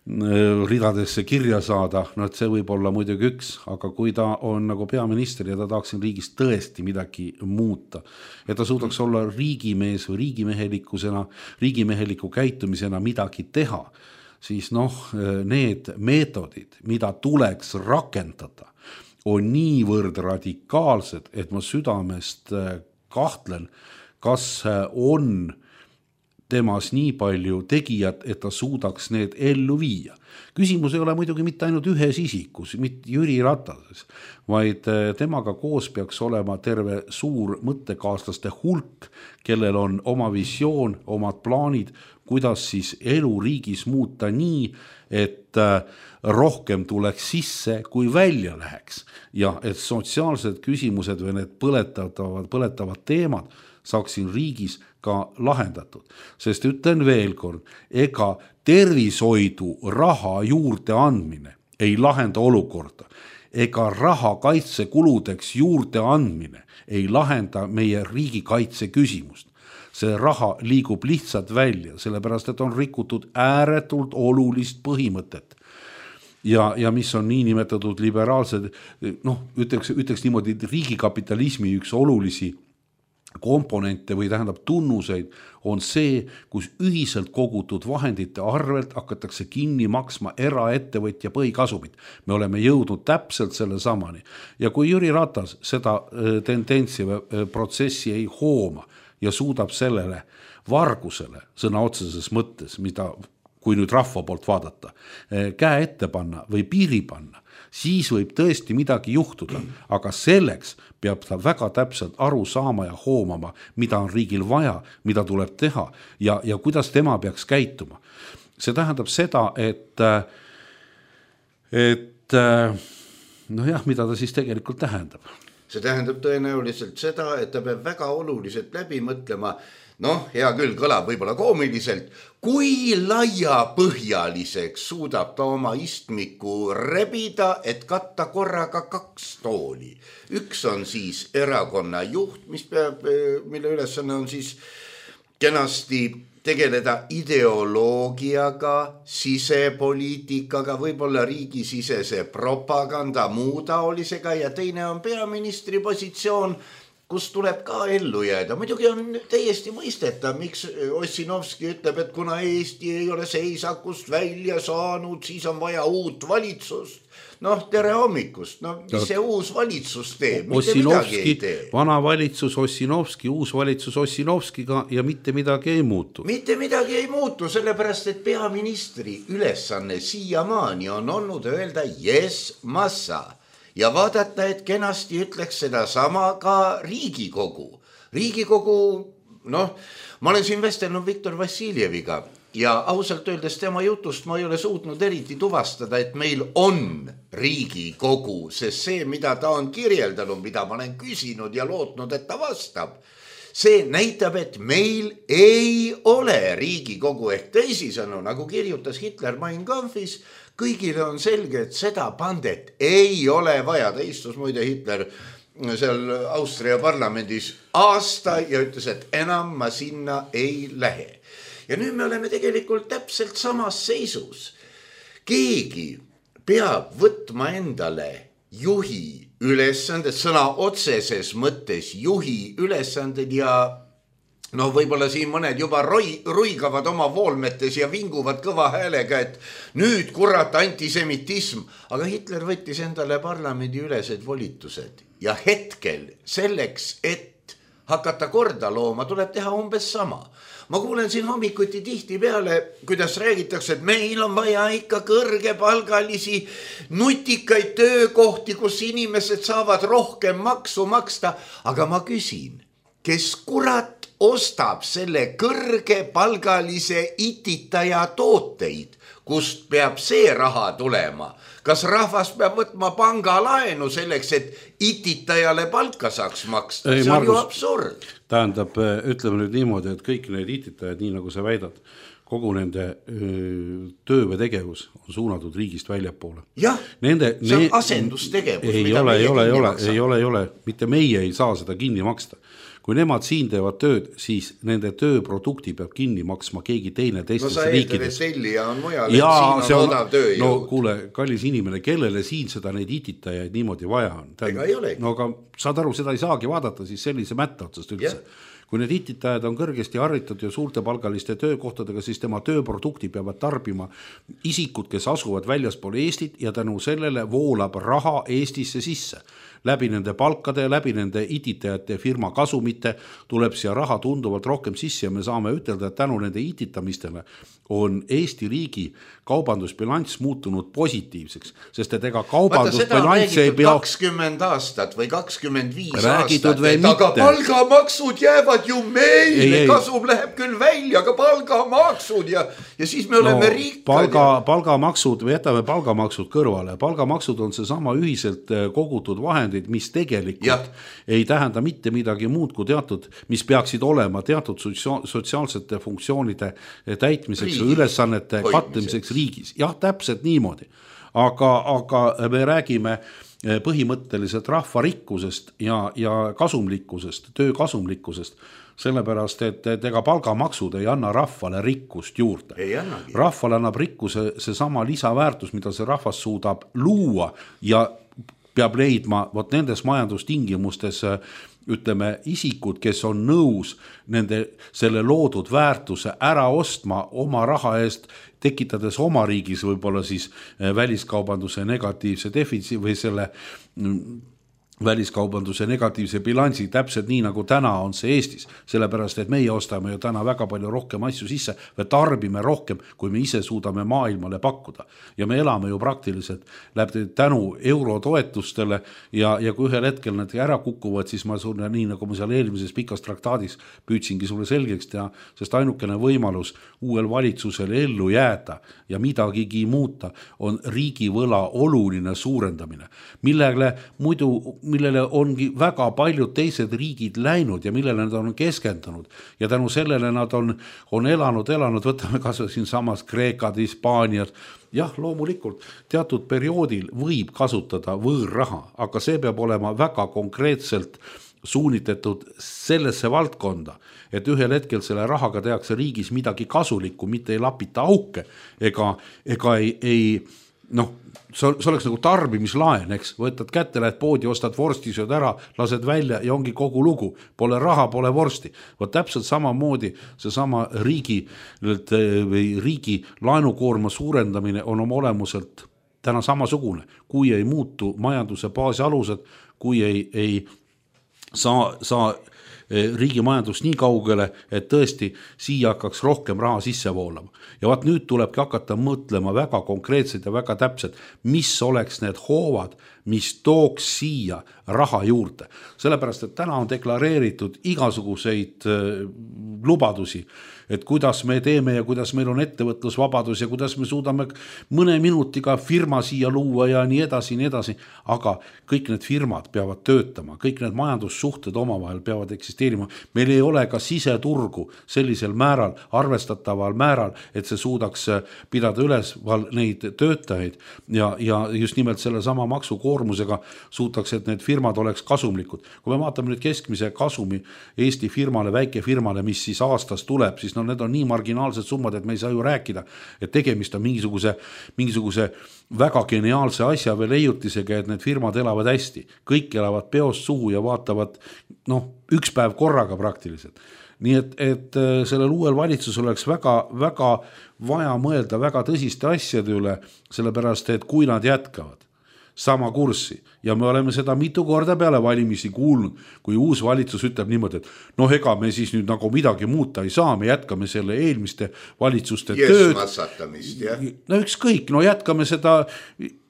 ridadesse kirja saada, no et see võib olla muidugi üks, aga kui ta on nagu peaminister ja ta tahaks siin riigis tõesti midagi muuta, et ta suudaks olla riigimees või riigimehelikkusena, riigimeheliku käitumisena midagi teha, siis noh, need meetodid, mida tuleks rakendada, on niivõrd radikaalsed, et ma südamest kahtlen, kas on temas nii palju tegijat, et ta suudaks need ellu viia. Küsimus ei ole muidugi mitte ainult ühes isikus, mitte Jüri Ratases, vaid temaga koos peaks olema terve suur mõttekaaslaste hulk, kellel on oma visioon, omad plaanid, kuidas siis elu riigis muuta nii, et rohkem tuleks sisse, kui välja läheks. Ja et sotsiaalsed küsimused või need põletavad, põletavad teemad saaksin riigis ka lahendatud. Sest ütlen veel kord, ega tervishoidu raha juurde andmine ei lahenda olukorda. Ega raha kaitsekuludeks juurde andmine ei lahenda meie riigikaitse küsimust. See raha liigub lihtsalt välja, sellepärast et on rikutud ääretult olulist põhimõtet. Ja, ja mis on niinimetatud liberaalsed, noh, ütleks, ütleks niimoodi riigikapitalismi üks olulisi komponente või tähendab tunnuseid on see, kus ühiselt kogutud vahendite arvelt hakatakse kinni maksma eraettevõtja põhikasumit. Me oleme jõudnud täpselt selle samani. Ja kui Jüri Ratas seda tendentsi protsessi ei hooma ja suudab sellele vargusele sõna otseses mõttes, mida kui nüüd rahva poolt vaadata, käe ette panna või piiri panna, siis võib tõesti midagi juhtuda, aga selleks peab ta väga täpselt aru saama ja hoomama, mida on riigil vaja, mida tuleb teha ja, ja kuidas tema peaks käituma. See tähendab seda, et, et noh jah, mida ta siis tegelikult tähendab? See tähendab tõenäoliselt seda, et ta peab väga oluliselt läbi mõtlema, noh, hea küll, kõlab võib-olla koomiliselt, kui laiapõhjaliseks suudab ta oma istmiku rebida, et katta korraga kaks tooli. Üks on siis erakonna juht, mis peab, mille ülesanne on siis kenasti tegeleda ideoloogiaga, sisepoliitikaga, võib-olla riigisisese propaganda, muu taolisega ja teine on peaministri positsioon, kus tuleb ka ellu jääda. Muidugi on täiesti mõisteta, miks Ossinovski ütleb, et kuna Eesti ei ole seisakust välja saanud, siis on vaja uut valitsust. Noh, tere hommikust. No, mis see uus valitsus teeb? Mitte midagi ei tee. Vana valitsus Ossinovski, uus valitsus Ossinovskiga ja mitte midagi ei muutu. Mitte midagi ei muutu, sellepärast, et peaministri ülesanne siiamaani on olnud öelda yes, massa. Ja vaadata, et kenasti ütleks seda sama ka Riigikogu. Riigikogu, noh, ma olen siin vestelnud Viktor Vassiljeviga ja ausalt öeldes tema jutust ma ei ole suutnud eriti tuvastada, et meil on Riigikogu, sest see, mida ta on kirjeldanud, mida ma olen küsinud ja lootnud, et ta vastab, see näitab, et meil ei ole Riigikogu ehk teisisõnu, nagu kirjutas Hitler Mein Kampfis, kõigile on selge, et seda pandet ei ole vaja. Ta istus muide Hitler seal Austria parlamendis aasta ja ütles, et enam ma sinna ei lähe. Ja nüüd me oleme tegelikult täpselt samas seisus. Keegi peab võtma endale juhi ülesanded, sõna otseses mõttes juhi ülesanded ja no võib-olla siin mõned juba roi, ruigavad oma voolmetes ja vinguvad kõva häälega, et nüüd kurat antisemitism. Aga Hitler võttis endale parlamendi ülesed volitused ja hetkel selleks, et hakata korda looma, tuleb teha umbes sama. Ma kuulen siin hommikuti tihti peale, kuidas räägitakse, et meil on vaja ikka kõrgepalgalisi nutikaid töökohti, kus inimesed saavad rohkem maksu maksta. Aga ma küsin, kes kurat ostab selle kõrgepalgalise ititaja tooteid, kust peab see raha tulema? Kas rahvas peab võtma pangalaenu selleks, et ititajale palka saaks maksta? Ei, see on Margus, ju absurd. Tähendab, ütleme nüüd niimoodi, et kõik need ititajad, nii nagu sa väidad, kogu nende öö, töö või tegevus on suunatud riigist väljapoole. Jah, nende, see on asendustegevus. Ei ole, ei ole, ei ole, ei ole, ei ole, mitte meie ei saa seda kinni maksta. Kui nemad siin teevad tööd, siis nende tööprodukti peab kinni maksma keegi teine teistes riikides. No sa eeldad, et tellija on mujal, et siin on, on odav tööjõud. No kuule, kallis inimene, kellele siin seda neid ititajaid niimoodi vaja on? Ega ei olegi. No aga saad aru, seda ei saagi vaadata siis sellise mätta otsast üldse. Yeah. Kui need ititajad on kõrgesti harritud ja suurte palgaliste töökohtadega, siis tema tööprodukti peavad tarbima isikud, kes asuvad väljaspool Eestit ja tänu sellele voolab raha Eestisse sisse. Läbi nende palkade, läbi nende ititajate firma kasumite tuleb siia raha tunduvalt rohkem sisse ja me saame ütelda, et tänu nende ititamistele on Eesti riigi kaubandusbilanss muutunud positiivseks, sest et ega kaubandusbilanss ei pea kakskümmend aastat või kakskümmend viis aastat, et aga palgamaksud jäävad ju meile, kasum läheb küll välja, aga palgamaksud ja, ja siis me oleme no, rikkad. Palga, palgamaksud, või jätame palgamaksud kõrvale. Palgamaksud on see sama ühiselt kogutud vahendid, mis tegelikult ja. Ei tähenda mitte midagi muud kui teatud, mis peaksid olema teatud sotsiaalsete funktsioonide täitmiseks või ülesannete kattimiseks riigis. Jah, täpselt niimoodi. Aga, aga me räägime põhimõtteliselt rahvarikkusest ja, ja kasumlikkusest, töö kasumlikkusest, sellepärast, et, et ega palgamaksud ei anna rahvale rikkust juurde. Rahvale annab rikkuse see sama lisaväärtus, mida see rahvas suudab luua ja peab leidma vot nendes majandustingimustes ütleme, isikud, kes on nõus nende, selle loodud väärtuse ära ostma oma raha eest, tekitades oma riigis võib-olla siis väliskaubanduse negatiivse defitsiidi või selle väliskaubanduse negatiivse bilansi, täpselt nii nagu täna on see Eestis, sellepärast et meie ostame ju täna väga palju rohkem asju sisse või tarbime rohkem, kui me ise suudame maailmale pakkuda. Ja me elame ju praktiliselt läbi tänu eurotoetustele ja, ja kui ühel hetkel nad ära kukuvad, siis ma sulle nii nagu ma seal eelmises pikas traktaadis püüdsingi sulle selgeks teha, sest ainukene võimalus uuel valitsusel ellu jääda ja midagigi muuta on riigivõla oluline suurendamine, millele muidu millele ongi väga paljud teised riigid läinud ja millele nad on keskendunud ja tänu sellele nad on, on elanud, elanud, võtame kasvõi siin samas Kreekad, Hispaaniad, jah, loomulikult teatud perioodil võib kasutada võõrraha, aga see peab olema väga konkreetselt suunitetud sellesse valdkonda, et ühel hetkel selle rahaga tehakse riigis midagi kasulikku, mitte ei lapita auke ega, ega ei, ei noh, see oleks nagu tarbimislaen, eks, võtad kätte, lähed poodi, ostad vorsti, sööd ära, lased välja ja ongi kogu lugu. Pole raha, pole vorsti. Võt täpselt samamoodi see sama riigi, või riigi laenukoorma suurendamine on oma olemuselt täna samasugune. Kui ei muutu majanduse baasi alused, kui ei, ei saa, saa riigi majandus nii kaugele, et tõesti siia hakkaks rohkem raha sisse voolama. Ja vaat nüüd tulebki hakata mõtlema väga konkreetselt ja väga täpselt, mis oleks need hoovad, mis tooks siia raha juurde. Sellepärast, et täna on deklareeritud igasuguseid lubadusi, et kuidas me teeme ja kuidas meil on ettevõtlusvabadus ja kuidas me suudame mõne minutiga firma siia luua ja nii edasi, nii edasi. Aga kõik need firmad peavad töötama, kõik need majandussuhted omavahel peavad eksisteerima. Meil ei ole ka siseturgu sellisel määral, arvestataval määral, et see suudaks pidada üles neid töötajaid ja, ja just nimelt selle sama maksukoormusega suudaks, et need firmad oleks kasumlikud. Kui me vaatame nüüd keskmise kasumi Eesti firmale, väike firmale, mis siis aastas tuleb, siis no need on nii marginaalsed summad, et me ei saa ju rääkida, et tegemist on mingisuguse, mingisuguse väga geniaalse asja või leiutisega, et need firmad elavad hästi. Kõik elavad peost suhu ja vaatavad noh, üks päev korraga praktiliselt. Nii et, et sellel uuel valitsus oleks väga, väga vaja mõelda väga tõsiste asjade üle, sellepärast, et kui nad jätkavad sama kurssi ja me oleme seda mitu korda peale valimisi kuulnud, kui uus valitsus ütleb niimoodi, et noh, ega me siis nüüd nagu midagi muuta ei saa, me jätkame selle eelmiste valitsuste tööd. No ükskõik, no jätkame seda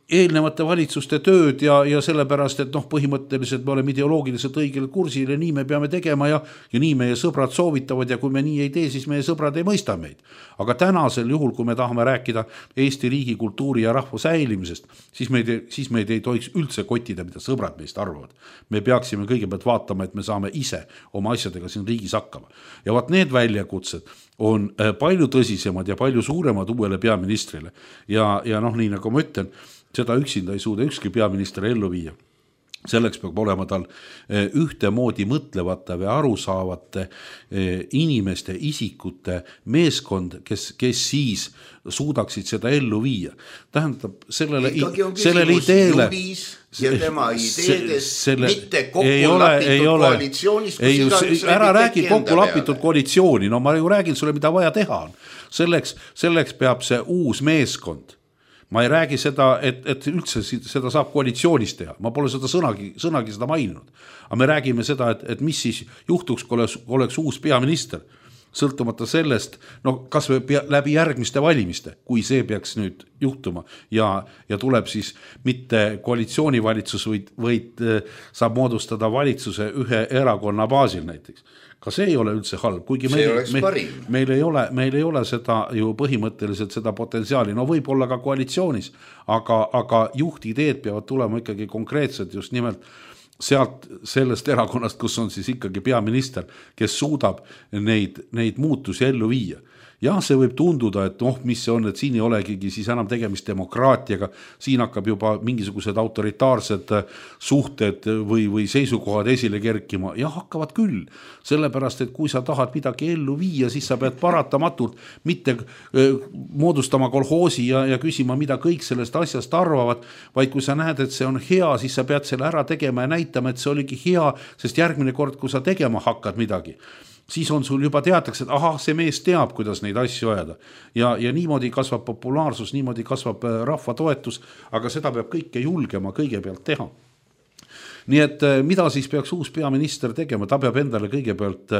eelnevate valitsuste tööd ja, ja sellepärast, et noh, põhimõtteliselt me oleme ideoloogiliselt õigel kursil ja nii me peame tegema ja, ja nii meie sõbrad soovitavad ja kui me nii ei tee, siis meie sõbrad ei mõista meid. Aga tänasel juhul, kui me tahame rääkida Eesti riigi kultuuri ja rahva säilimisest, siis meid, siis meid ei tohiks üldse kottida, mida sõbrad meist arvavad. Me peaksime kõigepealt vaatama, et me saame ise oma asjadega siin riigis hakkama. Ja vaat need väljakutsed on palju tõsisemad ja palju suuremad uuele peaministrile. Ja, ja noh, nii nagu ma ütlen, seda üksinda ei suuda ükski peaminister ellu viia. Selleks peab olema tal ühtemoodi mõtlevate või arusaavate inimeste, isikute meeskond, kes, kes siis suudaksid seda ellu viia. Tähendab, sellele, sellele ideele ja tema ideedes selle, mitte kokku lapitud koalitsioonis, ei, ära räägi kokku lapitud koalitsiooni, no ma ju räägin sulle, mida vaja teha on. Selleks, selleks peab see uus meeskond. Ma ei räägi seda, et, et üldse seda saab koalitsioonis teha. Ma pole seda sõnagi, sõnagi seda maininud. Aga me räägime seda, et, et mis siis juhtuks, kui oleks, oleks uus peaminister. Sõltumata sellest, no kas või läbi järgmiste valimiste, kui see peaks nüüd juhtuma ja, ja tuleb siis mitte koalitsioonivalitsus, vaid, vaid saab moodustada valitsuse ühe erakonna baasil näiteks. Ka see ei ole üldse halb, kuigi meil, meil, meil, ei ole, meil ei ole seda ju põhimõtteliselt seda potentsiaali, no võib olla ka koalitsioonis, aga, aga juhtideed peavad tulema ikkagi konkreetselt just nimelt sealt sellest erakonnast, kus on siis ikkagi peaminister, kes suudab neid, neid muutusi ellu viia. Jah, see võib tunduda, et noh, mis see on, et siin ei olegi siis enam tegemist demokraatiaga, siin hakkab juba mingisugused autoritaarsed suhted või, või seisukohad esile kerkima. Jah, hakkavad küll, sellepärast, et kui sa tahad midagi ellu viia, siis sa pead paratamatult mitte moodustama kolhoosi ja, ja küsima, mida kõik sellest asjast arvavad, vaid kui sa näed, et see on hea, siis sa pead selle ära tegema ja näitama, näitama, et see oligi hea, sest järgmine kord, kui sa tegema hakkad midagi, siis on sul juba teatakse, et ahah, see mees teab, kuidas neid asju ajada. Ja, ja niimoodi kasvab populaarsus, niimoodi kasvab rahva toetus, aga seda peab kõike julgema kõigepealt teha. Nii et mida siis peaks uus peaminister tegema? Ta peab endale kõigepealt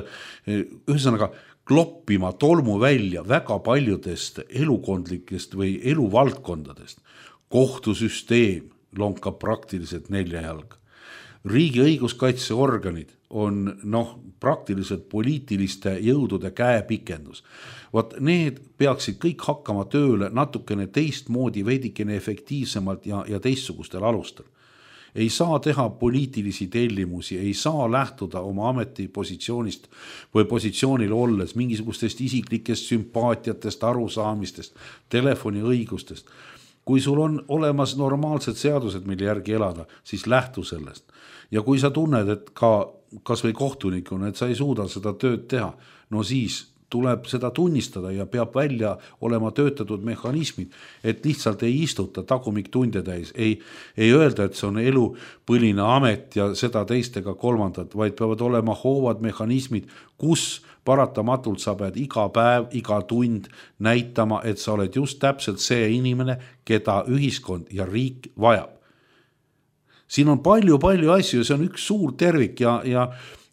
ühesõnaga kloppima tolmu välja väga paljudest elukondlikest või eluvaldkondadest. Kohtusüsteem lonkab praktiliselt nelja jalga. Riigi õiguskaitseorganid on noh, praktiliselt poliitiliste jõudude käepikendus. Vaat need peaksid kõik hakkama tööle natukene teistmoodi, veidikene efektiivsemalt ja, ja teistsugustel alustel. Ei saa teha poliitilisi tellimusi, ei saa lähtuda oma ametipositsioonist või positsioonil olles mingisugustest isiklikest sümpaatiatest, arusaamistest, telefoni õigustest. Kui sul on olemas normaalsed seadused, mille järgi elada, siis lähtu sellest. Ja kui sa tunned, et ka kas või kohtunikuna, et sa ei suuda seda tööd teha, no siis tuleb seda tunnistada ja peab välja olema töötatud mehhanismid, et lihtsalt ei istuta tagumik tunde täis, ei, ei öelda, et see on elupõline amet ja seda teistega kolmandat, vaid peavad olema hoovad mehhanismid, kus paratamatult sa pead iga päev, iga tund näitama, et sa oled just täpselt see inimene, keda ühiskond ja riik vajab. Siin on palju-palju asju, see on üks suur tervik ja, ja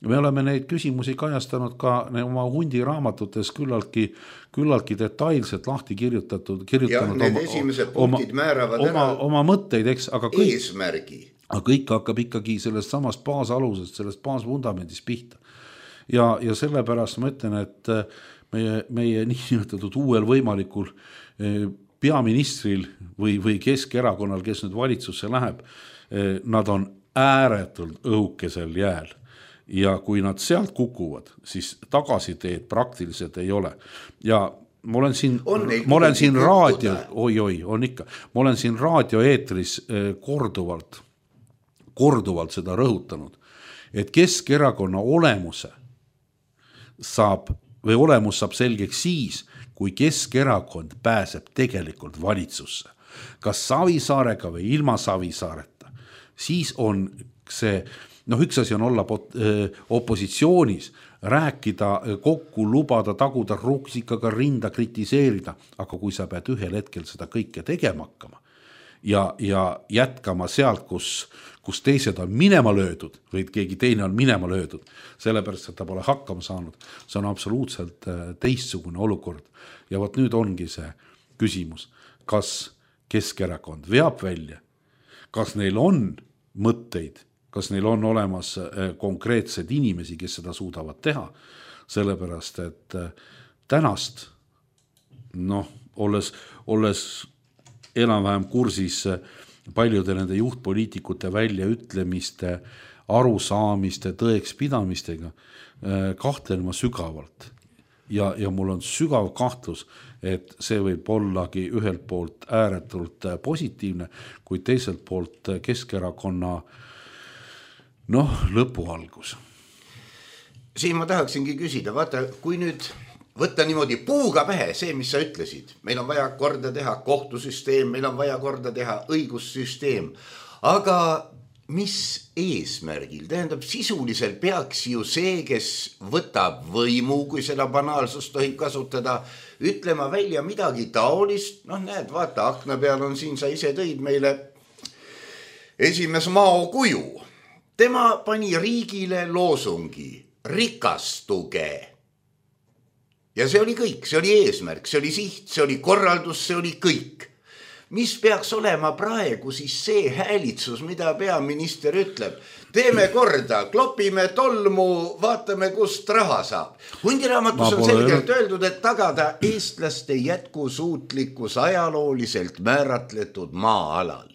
me oleme neid küsimusi kajastanud ka oma hundi raamatutes küllaltki, küllaltki detailselt lahti kirjutatud. kirjutanud ja need oma, esimesed punktid oma, määravad oma, ära oma mõtteid, eks, aga kõik, eesmärgi. Aga kõik hakkab ikkagi sellest samast baasalusest, sellest baasvundamendist pihta. Ja, ja sellepärast ma ütlen, et meie, meie niinimetatud uuel võimalikul peaministril või, või Keskerakonnal, kes nüüd valitsusse läheb, nad on ääretult õhukesel jääl. Ja kui nad sealt kukuvad, siis tagasiteed praktiliselt ei ole. Ja ma olen siin, ma olen siin raadio, oi, oi, on ikka, ma olen siin raadioeetris korduvalt, korduvalt seda rõhutanud, et Keskerakonna olemuse saab, või olemus saab selgeks siis, kui Keskerakond pääseb tegelikult valitsusse. Kas Savisaarega või ilma Savisaareta, siis on see, noh, üks asi on olla opositsioonis, rääkida, kokku lubada, taguda ruksikaga rinda, kritiseerida, aga kui sa pead ühel hetkel seda kõike tegema hakkama ja, ja jätkama sealt, kus, kus teised on minema löödud või keegi teine on minema löödud, sellepärast, et ta pole hakkama saanud, see on absoluutselt teistsugune olukord. Ja võt nüüd ongi see küsimus, kas Keskerakond veab välja, kas neil on mõtteid, kas neil on olemas konkreetsed inimesi, kes seda suudavad teha, sellepärast, et tänast, noh, olles, olles enam-vähem kursis paljude nende juhtpoliitikute väljaütlemiste, arusaamiste, tõekspidamistega, kahtlen ma sügavalt. Ja, ja mul on sügav kahtlus, et see võib ollagi ühelt poolt ääretult positiivne, kuid teiselt poolt Keskerakonna noh, lõpu algus. Siin ma tahaksingi küsida, vaata, kui nüüd võtta niimoodi puuga pähe see, mis sa ütlesid, meil on vaja korda teha kohtusüsteem, meil on vaja korda teha õigussüsteem, aga mis eesmärgil? Tähendab, sisuliselt peaks ju see, kes võtab võimu, kui seda banaalsust tohib kasutada, ütlema välja midagi taolist, noh näed, vaata, akna peal on siin, sa ise tõid meile esimes Mao kuju. Tema pani riigile loosungi, rikastuge. Ja see oli kõik, see oli eesmärk, see oli siht, see oli korraldus, see oli kõik. Mis peaks olema praegu siis see häälitsus, mida peaminister ütleb? Teeme korda, klopime tolmu, vaatame, kust raha saab. Hundiraamatus on selgelt öeldud, et tagada eestlaste jätkusuutlikkus ajalooliselt määratletud maa-alal.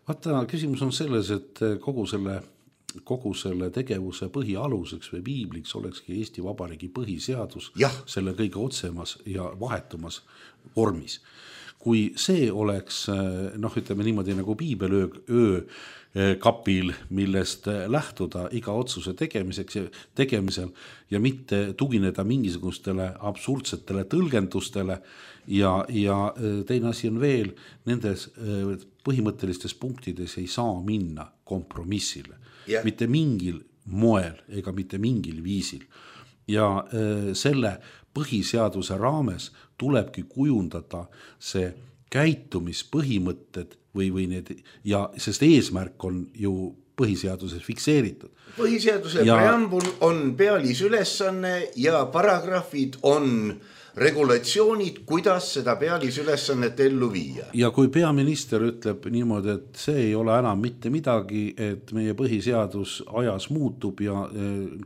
Vaata, küsimus on selles, et kogu selle, kogu selle tegevuse põhialuseks või piibliks olekski Eesti Vabariigi põhiseadus ja. Selle kõige otsemas ja vahetumas vormis. kui see oleks noh, ütleme niimoodi nagu piibelöö öö kapil, millest lähtuda iga otsuse tegemiseks ja tegemisel ja mitte tugineda mingisugustele absurdsetele tõlgendustele ja, ja teine asi on veel, nendes põhimõttelistes punktides ei saa minna kompromissile. Yeah. Mitte mingil moel ega mitte mingil viisil. Ja selle põhiseaduse raames tulebki kujundada see käitumispõhimõtted või, või need, ja sest eesmärk on ju põhiseaduses fikseeritud. Põhiseaduse ja, preambul on pealisülesanne ja paragrahvid on regulatsioonid, kuidas seda pealisülesannet ellu viia. Ja kui peaminister ütleb niimoodi, et see ei ole enam mitte midagi, et meie põhiseadus ajas muutub ja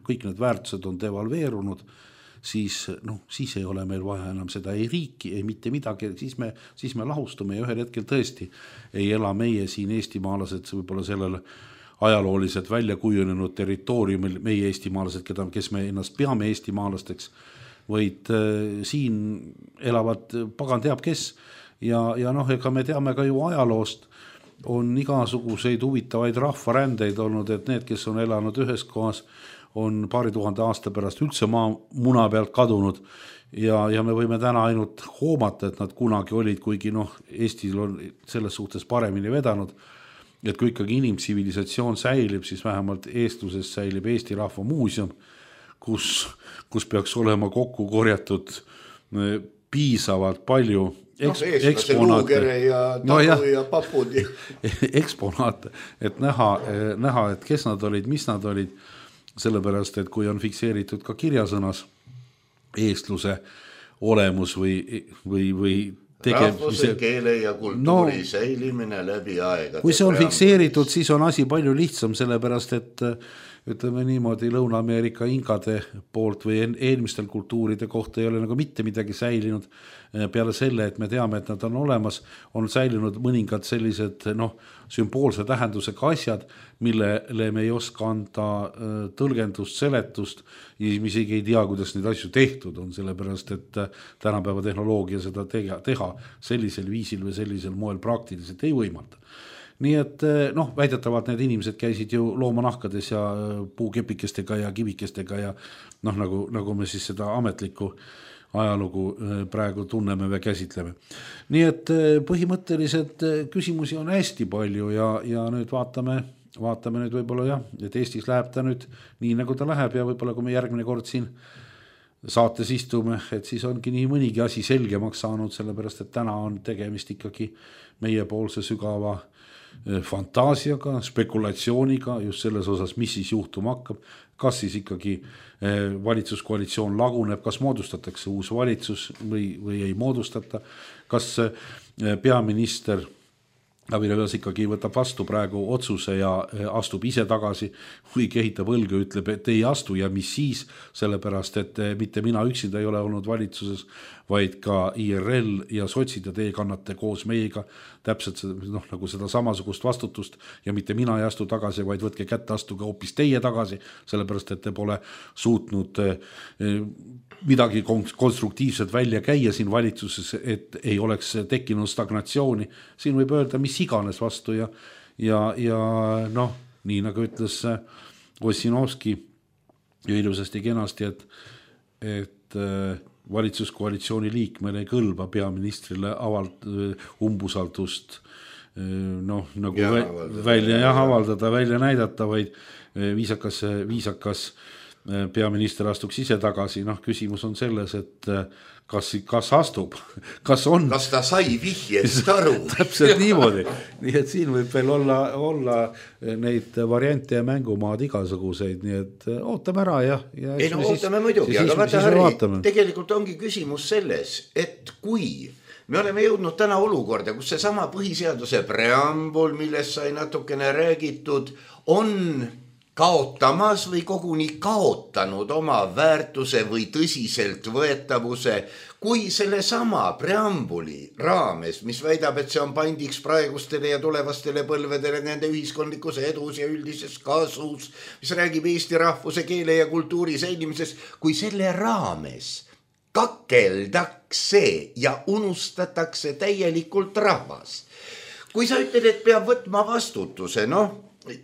kõik need väärtused on devalveerunud, siis, noh, siis ei ole meil vaja enam seda ei riiki, ei mitte midagi, siis me, siis me lahustume ja ühel hetkel tõesti ei ela meie siin eestimaalased võib-olla sellele ajalooliselt välja kujunenud territooriumil, meie eestimaalased, keda, kes me ennast peame eestimaalasteks, vaid äh, siin elavad pagan teab kes ja, ja noh, ega me teame ka ju ajaloost, on igasuguseid huvitavaid rahvarändeid olnud, et need, kes on elanud ühes kohas, on paari tuhande aasta pärast üldse maa muna pealt kadunud ja, ja me võime täna ainult hoomata, et nad kunagi olid, kuigi noh, Eestil on selles suhtes paremini vedanud, et kui ikkagi inimtsivilisatsioon säilib, siis vähemalt eestluses säilib Eesti Rahva Muuseum, kus, kus peaks olema kokku korjatud piisavalt palju eks, no, eksponaate ja tabu no, ja, ja papud eksponaate, et näha, näha, et kes nad olid, mis nad olid, sellepärast, et kui on fikseeritud ka kirjasõnas eestluse olemus või, või, või tegem... rahvuse, keele ja kultuuri no, säilimine läbi aegade. Kui see on fikseeritud, siis on asi palju lihtsam, sellepärast, et ütleme niimoodi Lõuna-Ameerika inkade poolt või eelmistel kultuuride kohta ei ole nagu mitte midagi säilinud peale selle, et me teame, et nad on olemas, on säilinud mõningad sellised noh, sümboolse tähendusega asjad, millele me ei oska anda tõlgendust, seletust ja isegi ei tea, kuidas neid asju tehtud on, sellepärast, et tänapäeva tehnoloogia seda teha sellisel viisil või sellisel moel praktiliselt ei võimalda. Nii et noh, väidetavalt need inimesed käisid ju loomanahkades ja puukepikestega ja kivikestega ja noh, nagu, nagu me siis seda ametlikku ajalugu praegu tunneme või käsitleme. Nii et põhimõtteliselt küsimusi on hästi palju ja, ja nüüd vaatame, vaatame nüüd võib-olla jah, et Eestis läheb ta nüüd nii nagu ta läheb ja võib-olla kui me järgmine kord siin saates istume, et siis ongi nii mõnigi asi selgemaks saanud, sellepärast et täna on tegemist ikkagi meiepoolse sügava fantaasiaga, spekulatsiooniga just selles osas, mis siis juhtuma hakkab, kas siis ikkagi valitsuskoalitsioon laguneb, kas moodustatakse uus valitsus või, või ei moodustata, kas peaminister Taavi Rõivas ikkagi võtab vastu praegu otsuse ja astub ise tagasi või kehitab õlga, ütleb, et ei astu ja mis siis, sellepärast, et mitte mina üksinda ei ole olnud valitsuses, vaid ka I R L ja sotsid ja teie kannate koos meiega täpselt noh, nagu seda samasugust vastutust ja mitte mina ei astu tagasi, vaid võtke kätte, astuge hoopis teie tagasi, sellepärast, et te pole suutnud midagi konstruktiivselt välja käia siin valitsuses, et ei oleks tekkinud stagnatsiooni. Siin võib öelda, mis iganes vastu ja, ja, ja noh, nii nagu ütles Ossinovski ju ilusasti kenasti, et, et valitsuskoalitsiooni liikmele ei kõlba peaministrile avald, umbusaldust noh, nagu ja, vä- välja jah, avaldada, välja näidata, vaid viisakas, viisakas peaminister astuks ise tagasi, noh küsimus on selles, et kas, kas astub, kas on kas ta sai vihjest aru täpselt niimoodi, nii et siin võib veel olla, olla neid variante ja mängumaad igasuguseid, nii et ootame ära ja, ja ei no siis, ootame muidugi, aga vaata Harri, tegelikult ongi küsimus selles, et kui me oleme jõudnud täna olukorda, kus see sama põhiseaduse preambul, millest sai natukene räägitud, on kaotamas või koguni kaotanud oma väärtuse või tõsiselt võetavuse, kui selle sama preambuli raames, mis väidab, et see on pandiks praegustele ja tulevastele põlvedele nende ühiskondlikus edus ja üldises kasus, mis räägib Eesti rahvuse, keele ja kultuuri säilimisest, kui selle raames kakeldakse ja unustatakse täielikult rahvas. Kui sa ütled, et peab võtma vastutuse, noh,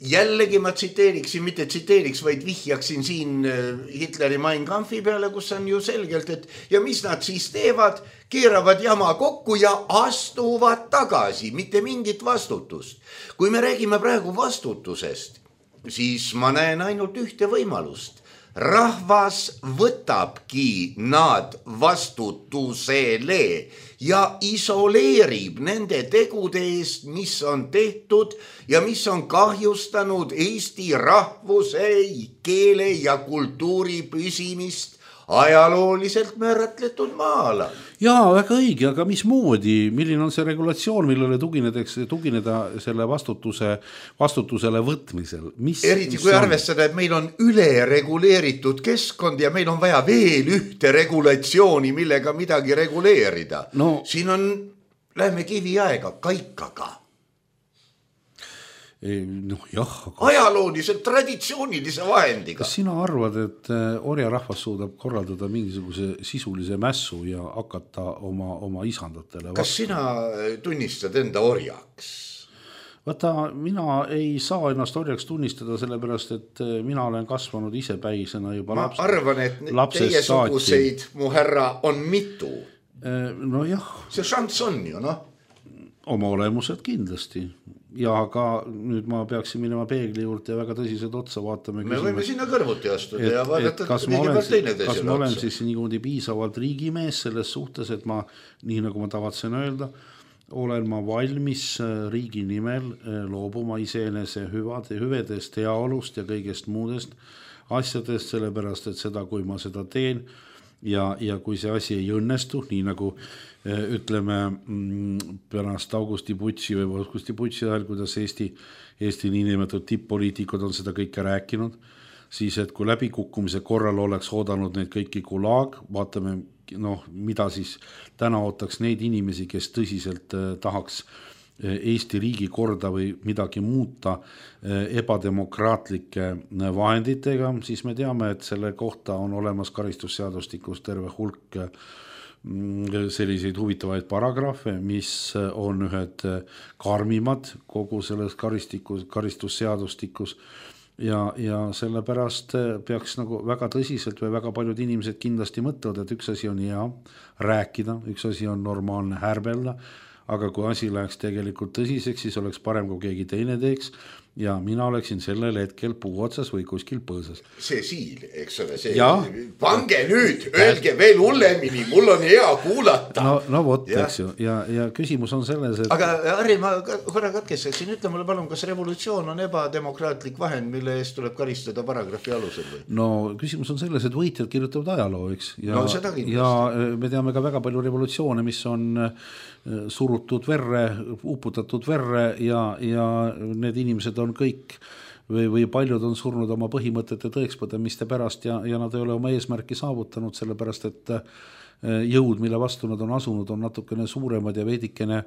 jällegi ma tsiteeriksin, mitte tsiteeriks, vaid vihjaksin siin Hitleri Mein Kampfi peale, kus on ju selgelt, et ja mis nad siis teevad, keeravad jama kokku ja astuvad tagasi, mitte mingit vastutust. Kui me räägime praegu vastutusest, siis ma näen ainult ühte võimalust. Rahvas võtabki nad vastutusele ja isoleerib nende tegude eest, mis on tehtud ja mis on kahjustanud Eesti rahvuse, keele ja kultuuri püsimist ajalooliselt määratletud maala. Jaa, väga õige, aga mismoodi, milline on see regulatsioon, millele tuginedeks, tugineda selle vastutuse, vastutusele võtmisel? Mis, Eriti kui arvestada, et meil on ülereguleeritud keskkond ja meil on vaja veel ühte regulatsiooni, millega midagi reguleerida. No, siin on, lähme kiviaega kaikaga. No, jah, aga... ajalooliselt traditsioonilise vahendiga. Kas sina arvad, et orja rahvas suudab korraldada mingisuguse sisulise mässu ja hakata oma, oma isandatele? Kas sina tunnistad enda orjaks? Vaata, mina ei saa ennast orjaks tunnistada, sellepärast, et mina olen kasvanud ise päisena juba ma laps, arvan, et teie suguseid, mu härra, on mitu. No jah. See šants on ju, noh. Oma olemused kindlasti. Ja aga nüüd ma peaksin minema peegli juurde ja väga tõsiselt otsa vaatama. Me võime sinna kõrvuti astuda et, ja vaadata, kas ma olen, kas ma olen siis niimoodi piisavalt riigimees selles suhtes, et ma, nii nagu ma tavatsen öelda, olen ma valmis riigi nimel loobuma iseenese hüvade, hüvedest, heaolust ja kõigest muudest asjadest, sellepärast, et seda, kui ma seda teen ja, ja kui see asi ei õnnestu, nii nagu ütleme pärast Augusti Putsi või Augusti Putsi ajal, kuidas Eesti, Eesti niinimetatud tipp-poliitikud on seda kõike rääkinud, siis et kui läbikukkumise korral oleks oodanud neid kõiki Gulag, vaatame, noh, mida siis täna ootaks neid inimesi, kes tõsiselt tahaks Eesti riigi korda või midagi muuta ebademokraatlike vahenditega, siis me teame, et selle kohta on olemas karistusseadustikus terve hulk selliseid huvitavaid paragrahve, mis on ühed karmimad kogu selles karistikus, karistusseadustikus ja, ja sellepärast peaks nagu väga tõsiselt või väga paljud inimesed kindlasti mõtlevad, et üks asi on hea rääkida, üks asi on normaalne härbelda, aga kui asi läheks tegelikult tõsiseks, siis oleks parem, kui keegi teine teeks ja mina oleksin sellel hetkel puu otsas või kuskil põõsas. See siil, eks ole, see ja? Pange nüüd, öelge veel hullemini, mul on hea kuulata. No, no vot, eks ju, ja, ja küsimus on selles, et... Aga Harri, ma korra katkestaksin, ütle mulle palun, kas revolutsioon on ebademokraatlik vahend, mille eest tuleb karistada paragrahvi alusel või? No küsimus on selles, et võitjad kirjutavad ajaloo, eks? Ja, no seda kindlasti. Ja me teame ka väga palju revolutsioone, mis on surutud verre, uputatud verre ja, ja need inimesed on kõik või, või paljud on surnud oma põhimõtete tõekspõdemiste pärast ja, ja nad ei ole oma eesmärki saavutanud, sellepärast et jõud, mille vastu nad on asunud, on natukene suuremad ja veidikene,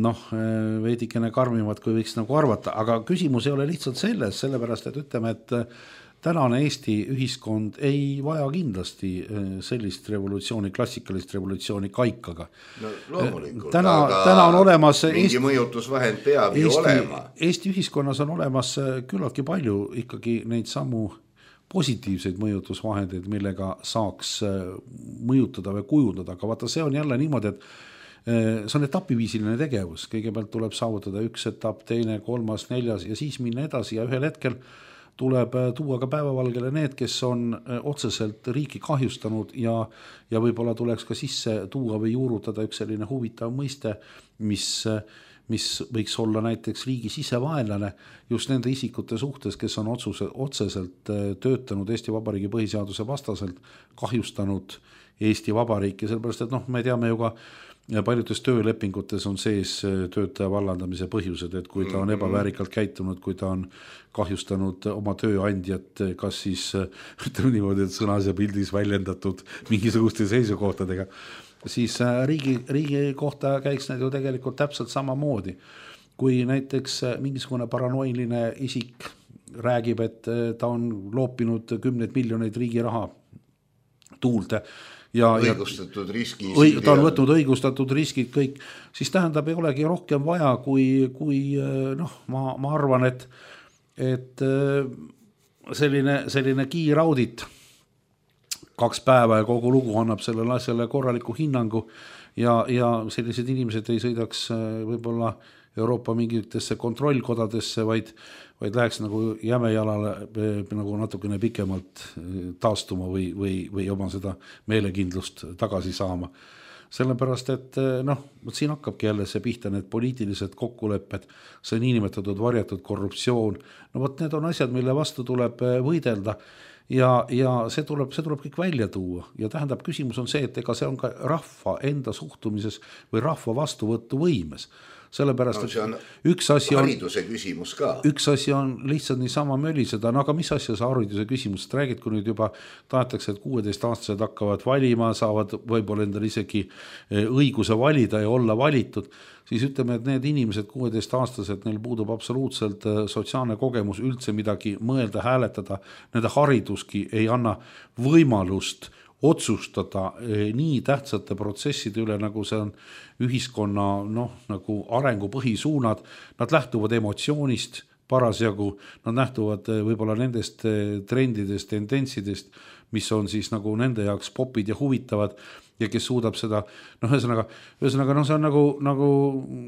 noh, veidikene karmimad, kui võiks nagu arvata. Aga küsimus ei ole lihtsalt selles, sellepärast et ütleme, et tänane Eesti ühiskond ei vaja kindlasti sellist revolutsiooni, klassikalist revolutsiooni kaikaga. No loomulikult, täna, aga täna on olemas mingi Eesti, mõjutusvahend peab ju Eesti, olema. Eesti ühiskonnas on olemas küllaltki palju ikkagi neid samu positiivseid mõjutusvahendeid, millega saaks mõjutada või kujundada, aga vaata, see on jälle niimoodi, et see on etapiviisiline tegevus, kõigepealt tuleb saavutada üks etapp, teine, kolmas, neljas ja siis minna edasi ja ühel hetkel tuleb tuua ka päevavalgele need, kes on otseselt riiki kahjustanud ja, ja võib-olla tuleks ka sisse tuua või juurutada üks selline huvitav mõiste, mis, mis võiks olla näiteks riigi sisevaenlane just nende isikute suhtes, kes on otsuse, otseselt töötanud Eesti Vabariigi põhiseaduse vastaselt, kahjustanud Eesti Vabariiki, sellepärast et noh, me teame ju ka ja paljudes töölepingutes on sees töötaja vallandamise põhjused, et kui ta on ebaväärikalt käitunud, kui ta on kahjustanud oma tööandjat, kas siis ütleme niimoodi, et sõnas ja pildis väljendatud mingisuguste seisukohtadega, siis riigi, riigi kohta käiks need ju tegelikult täpselt samamoodi. Kui näiteks mingisugune paranoiline isik räägib, et ta on loopinud kümneid miljoneid riigi raha tuulde. Ja, õigustatud riski. Õig, ta on võtnud õigustatud riskid kõik, siis tähendab, ei olegi rohkem vaja, kui, kui noh, ma, ma arvan, et, et selline, selline kiiraudit kaks päeva ja kogu lugu annab sellele asjale korraliku hinnangu ja, ja sellised inimesed ei sõidaks võib-olla Euroopa mingitesse kontrollkodadesse, vaid, vaid läheks nagu jämejalale nagu natukene pikemalt taastuma või, või, või oma seda meelekindlust tagasi saama. Sellepärast, et noh, siin hakkabki jälle see pihta need poliitilised kokkulepped, see niinimetatud varjatud korruptsioon. No võt, need on asjad, mille vastu tuleb võidelda ja, ja see tuleb, see tuleb kõik välja tuua. Ja tähendab, küsimus on see, et ega see on ka rahva enda suhtumises või rahva vastuvõttu võimes. Sellepärast, no, et üks asi on hariduse küsimus ka. Üks asi on lihtsalt niisama möliseda, no aga mis asja see hariduse küsimus, räägid, kui nüüd juba tahetakse, et kuueteist aastased hakkavad valima, saavad võib-olla endal isegi õiguse valida ja olla valitud, siis ütleme, et need inimesed kuueteist aastased, neil puudub absoluutselt sotsiaalne kogemus üldse midagi mõelda, hääletada, nende hariduski ei anna võimalust otsustada nii tähtsate protsesside üle, nagu see on ühiskonna noh, nagu arengu põhisuunad, nad lähtuvad emotsioonist parasjagu, nad lähtuvad võib-olla nendest trendidest, tendentsidest, mis on siis nagu nende jaoks popid ja huvitavad ja kes suudab seda, noh, ühesõnaga, ühesõnaga, noh, see on nagu, nagu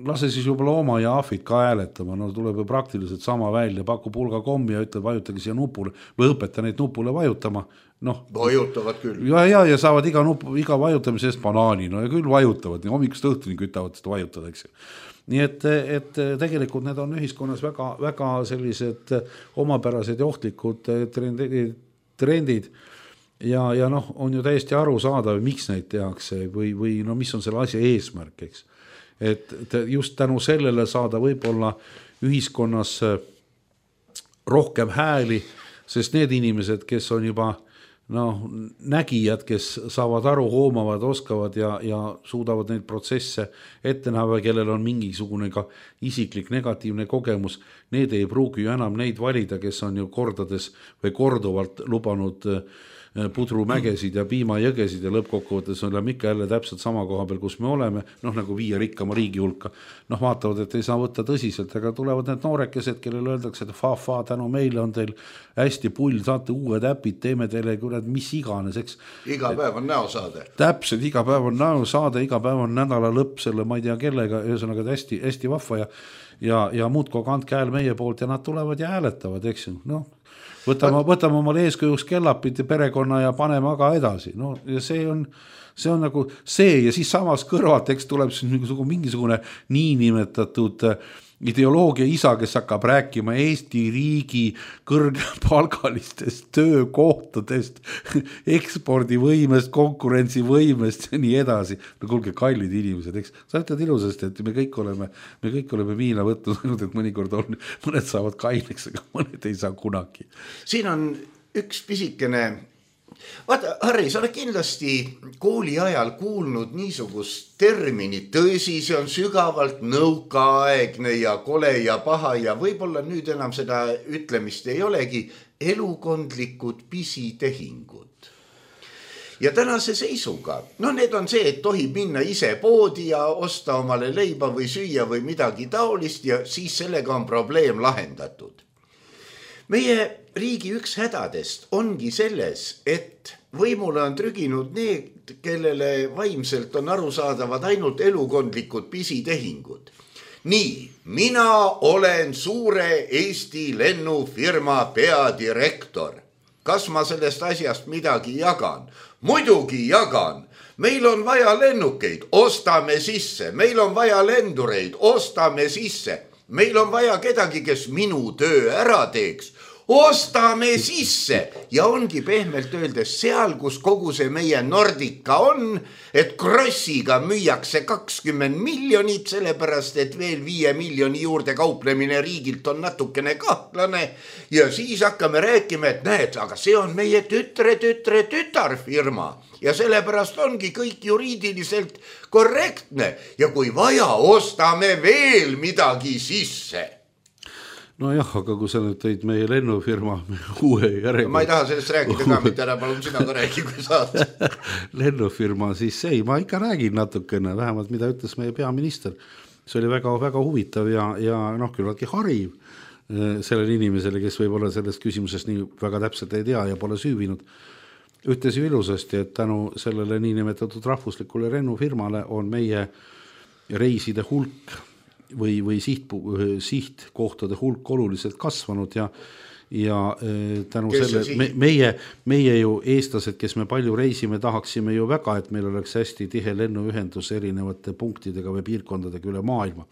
lase siis juba looma ja ahvid ka hääletama, no tuleb ju praktiliselt sama välja, pakub hulga kommi ja ütleb, vajutagi siia nupule või õpeta neid nupule vajutama, noh. Vajutavad küll. Ja, ja, ja saavad iga, nupu, iga vajutamise eest banaani, no ja küll vajutavad, nii hommikust õhtuni kütavad seda vajutada, eks ju. Nii et, et tegelikult need on ühiskonnas väga, väga sellised omapärased ja ohtlikud trendid ja, ja noh, on ju täiesti aru saada, miks neid tehakse või, või no mis on selle asja eesmärk, eks. Et just tänu sellele saada võib-olla ühiskonnas rohkem hääli, sest need inimesed, kes on juba noh, nägijad, kes saavad aru, hoomavad, oskavad ja, ja suudavad neid protsesse ette näha, kellel on mingisugune ka isiklik negatiivne kogemus, need ei pruugi ju enam neid valida, kes on ju kordades või korduvalt lubanud pudrumägesid ja piimajõgesid ja lõppkokkuvõttes oleme ikka jälle täpselt sama koha peal, kus me oleme, noh nagu viie rikkama riigi hulka, noh vaatavad, et ei saa võtta tõsiselt, aga tulevad need noorekesed, kellele öeldakse, et fa-fa, tänu meile on teil hästi pull, saate uued äpid, teeme teile kurat, mis iganes, eks. Iga päev on näosaade. Täpselt, iga päev on näosaade, iga päev on nädala lõpp selle, ma ei tea kellega, ühesõnaga hästi, hästi vahva ja, ja, ja muudko kandke hääl meie poolt ja nad tulevad ja hääletavad, eks ju, noh. Võtame, võtame omale eeskujuks kellapid ja perekonna ja paneme aga edasi. No, ja see on, see on nagu see ja siis samas kõrvalt, eks tuleb siis mingisugune, mingisugune niinimetatud ideoloogia isa, kes hakkab rääkima Eesti riigi kõrgepalgalistest töökohtadest, ekspordivõimest, konkurentsivõimest ja nii edasi. No kuulge, kallid inimesed, eks. Sa ütled ilusasti, et me kõik oleme, me kõik oleme viina võtnud, ainult et mõnikord on, mõned saavad kaineks, aga mõned ei saa kunagi. Siin on üks pisikene. Vaata, Harri, sa oled kindlasti kooli ajal kuulnud niisugust terminit, tõsi, see on sügavalt nõukaaegne ja kole ja paha ja võib-olla nüüd enam seda ütlemist ei olegi, elukondlikud pisitehingud. Ja tänase seisuga, no need on see, et tohib minna ise poodi ja osta omale leiba või süüa või midagi taolist ja siis sellega on probleem lahendatud. Meie riigi üks hädadest ongi selles, et võimule on trüginud need, kellele vaimselt on arusaadavad ainult elukondlikud pisitehingud. Nii, mina olen suure Eesti lennufirma peadirektor. Kas ma sellest asjast midagi jagan? Muidugi jagan. Meil on vaja lennukeid, ostame sisse. Meil on vaja lendureid, ostame sisse. Meil on vaja kedagi, kes minu töö ära teeks. Ostame sisse ja ongi pehmelt öeldes seal, kus kogu see meie Nordica on, et krossiga müüakse kakskümmend miljonit, sellepärast et veel viie miljoni juurde kauplemine riigilt on natukene kahtlane ja siis hakkame rääkima, et näed, aga see on meie tütre, tütre, tütarfirma ja sellepärast ongi kõik juriidiliselt korrektne ja kui vaja, ostame veel midagi sisse. no jah, aga kui sa nüüd tõid meie lennufirma uue järjega... Ma ei taha sellest rääkida ka, mitte ära, palun sina ka räägi, kui saad. Lennufirma, siis ei, ma ikka räägin natukene, vähemalt mida ütles meie peaminister. See oli väga, väga huvitav ja, ja noh, küllaltki hariv sellele inimesele, kes võib olla sellest küsimusest nii väga täpselt ei tea ja pole süüvinud. Ütles ju ilusasti, et tänu sellele niinimetatud rahvuslikule lennufirmale on meie reiside hulk või, või siht, sihtkohtade hulk oluliselt kasvanud ja, ja tänu kes selle, me, meie, meie ju eestlased, kes me palju reisime, tahaksime ju väga, et meil oleks hästi tihe lennuühendus erinevate punktidega või piirkondadega üle maailma.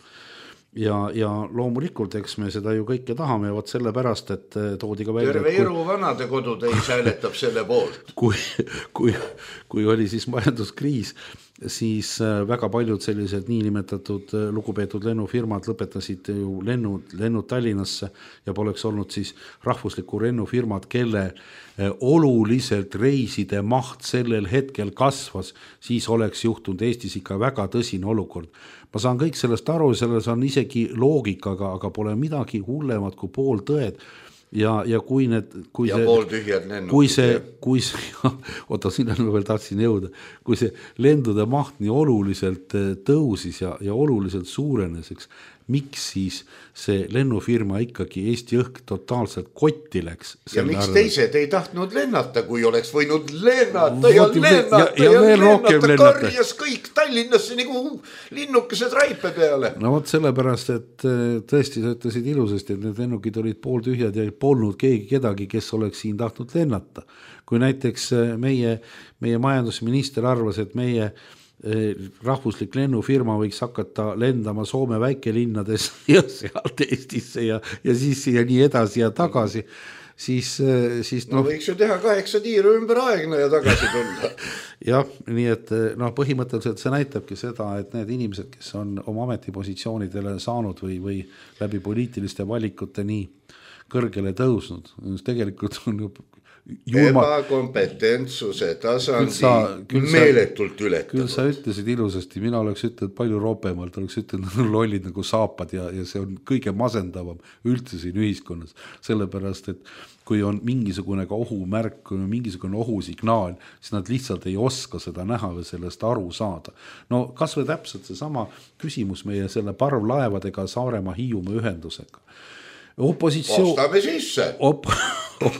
Ja, ja loomulikult, eks me seda ju kõike tahame ja võt selle pärast, et toodi ka välja... Terve Iru vanade kodud ei hääletab selle poolt. Kui, kui, kui oli siis majanduskriis, siis väga paljud sellised niinimetatud lugupeetud lennufirmad lõpetasid ju lennud, lennud Tallinnasse ja poleks olnud siis rahvusliku lennufirmad, kelle oluliselt reiside maht sellel hetkel kasvas, siis oleks juhtunud Eestis ikka väga tõsine olukord. Ma saan kõik sellest aru, selles on isegi loogikaga, aga pole midagi hullemat kui pool tõed. Ja, ja kui need kui ja see, pool tühjad lennukid kui see, kui see oota, sinna ma veel tahtsin jõuda, kui see lendude maht nii oluliselt tõusis ja, ja oluliselt suurenes, eks, miks siis see lennufirma ikkagi Eesti õhk totaalselt kotti läks ja miks arve? Teised ei tahtnud lennata, kui oleks võinud lennata ja Võtim, lennata ja, ja, ja, ja lennata karjas kõik Tallinnasse nagu linnukesed raipe peale. No vot sellepärast, et tõesti sa ütlesid ilusasti, et need lennukid olid pooltühjad ja polnud keegi kedagi, kes oleks siin tahtnud lennata. Kui näiteks meie, meie majandusminister arvas, et meie rahvuslik lennufirma võiks hakata lendama Soome väikelinnades ja sealt Eestisse ja, ja siis ja nii edasi ja tagasi, siis, siis no, no võiks ju teha kaheksa tiiru ümber aegna ja tagasi tulla. jah, nii et no, põhimõtteliselt see näitabki seda, et need inimesed, kes on oma ametipositsioonidele saanud või, või läbi poliitiliste valikute nii kõrgele tõusnud, tegelikult on ju Juma... ebakompetentsuse tasandi sa, meeletult ületanud. Küll sa ütlesid ilusasti, mina oleks ütelnud palju roopemalt, oleks ütelnud lollid nagu saapad ja, ja see on kõige masendavam üldse siin ühiskonnas, sellepärast, et kui on mingisugune ohumärk, kui on mingisugune ohusignaal, siis nad lihtsalt ei oska seda näha või sellest aru saada. No kas või täpselt see sama küsimus meie selle parvlaevadega Saaremaa Hiiumaa ühendusega. Opositsioon, ostame sisse. Op,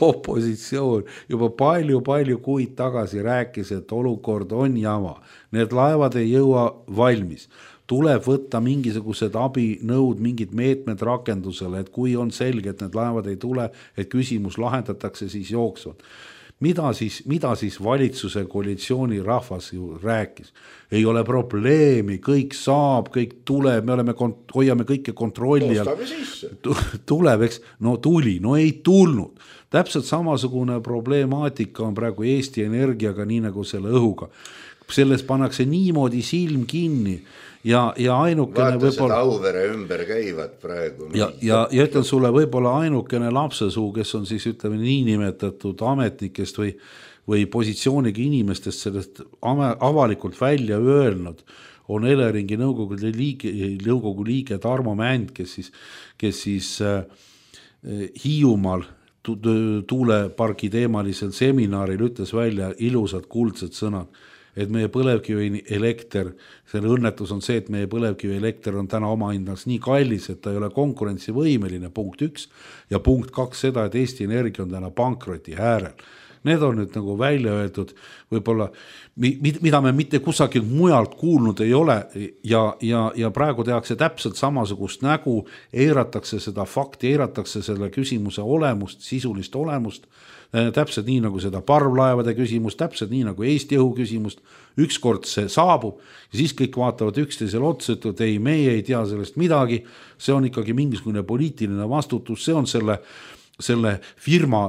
opositsioon juba palju-palju kuid tagasi rääkis, et olukord on jama. Need laevad ei jõua valmis. Tuleb võtta mingisugused abinõud, mingid meetmed rakendusele, et kui on selge, et need laevad ei tule, et küsimus lahendatakse, siis jooksvad. Mida siis, mida siis valitsuse koalitsiooni rahvas ju rääkis? Ei ole probleemi, kõik saab, kõik tuleb, me oleme, hoiame kõike kontrolli. Tuleb, eks, no tuli, no ei tulnud. Täpselt samasugune probleemaatika on praegu Eesti Energiaga, nii nagu selle õhuga. Selles pannakse niimoodi silm kinni ja, ja ainukene vaata seda Auvere ümber käivad praegu. Ja, ja, ja ütlen sulle võib-olla ainukene lapsesuu, kes on siis ütleme niinimetatud ametnikest või, või positsiooniga inimestest sellest avalikult välja öelnud, on Eleringi nõukogu liige, nõukogu liige Tarmo Mänd, kes siis, kes siis äh, Hiiumaal tuulepargi teemalisel seminaril ütles välja ilusad kuldsed sõnad, et meie põlevkivi elekter, selle õnnetus on see, et meie põlevkivi elekter on täna oma hinnaks nii kallis, et ta ei ole konkurentsivõimeline, punkt üks, ja punkt kaks seda, et Eesti Energia on täna pankroti äärel. Need on nüüd nagu välja öeldud, võib-olla, mida me mitte kusagil mujalt kuulnud ei ole ja, ja, ja praegu tehakse täpselt samasugust nägu, eiratakse seda fakti, eiratakse selle küsimuse olemust, sisulist olemust, täpselt nii nagu seda parvlaevade küsimust, täpselt nii nagu Eesti õhu küsimust, ükskord see saabub ja siis kõik vaatavad üksteisele otsa, et ei, meie ei tea sellest midagi, see on ikkagi mingisugune poliitiline vastutus, see on selle, selle firma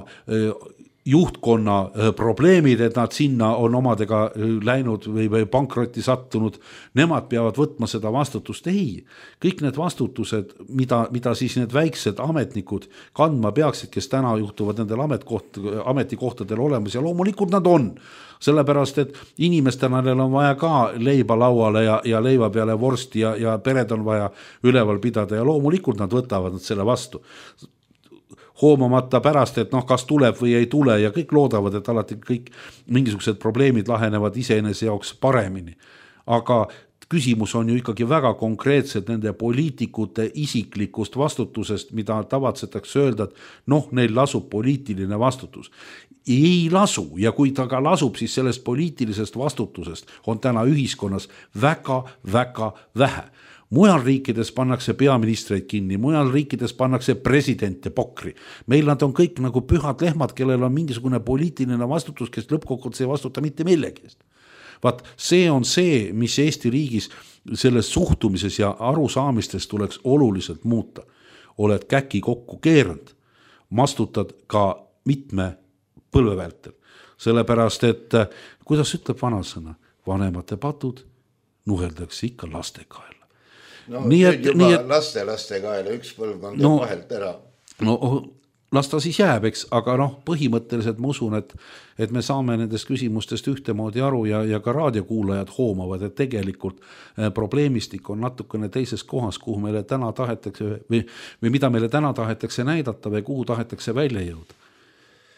juhtkonna probleemid, et nad sinna on omadega läinud või, või pankrotti sattunud, nemad peavad võtma seda vastutust. Ei, kõik need vastutused, mida, mida siis need väiksed ametnikud kandma peaksid, kes täna juhtuvad nendel ametkoht, ametikohtadel olemas ja loomulikult nad on. Sellepärast, et inimestena neil on vaja ka leiba lauale ja, ja leiva peale vorsti ja, ja pered on vaja üleval pidada ja loomulikult nad võtavad nad selle vastu. Hoomamata pärast, et noh, kas tuleb või ei tule ja kõik loodavad, et alati kõik mingisugused probleemid lahenevad iseenese jaoks paremini. Aga küsimus on ju ikkagi väga konkreetselt nende poliitikute isiklikust vastutusest, mida tavatsetakse öelda, et noh, neil lasub poliitiline vastutus. Ei lasu ja kui ta ka lasub, siis sellest poliitilisest vastutusest on täna ühiskonnas väga, väga vähe. Mujal riikides pannakse peaministreid kinni, mujal riikides pannakse presidente pokri. Meil nad on kõik nagu pühad lehmad, kellel on mingisugune poliitiline vastutus, kes lõppkokkuvõttes ei vastuta mitte millegi eest. Vaat see on see, mis Eesti riigis selles suhtumises ja arusaamistes tuleks oluliselt muuta. Oled käki kokku keeranud, mastutad ka mitme põlve vältel. Sellepärast, et kuidas ütleb vanasõna, vanemate patud nuheldakse ikka laste kaela. No nii et, juba nii et, laste, laste kaela, üks põlvkond no, vahelt ära. No las ta siis jääb, eks, aga noh, põhimõtteliselt ma usun, et, et me saame nendest küsimustest ühtemoodi aru ja, ja ka raadiokuulajad hoomavad, et tegelikult probleemistik on natukene teises kohas, kuhu meile täna tahetakse või, või mida meile täna tahetakse näidata või kuhu tahetakse välja jõuda.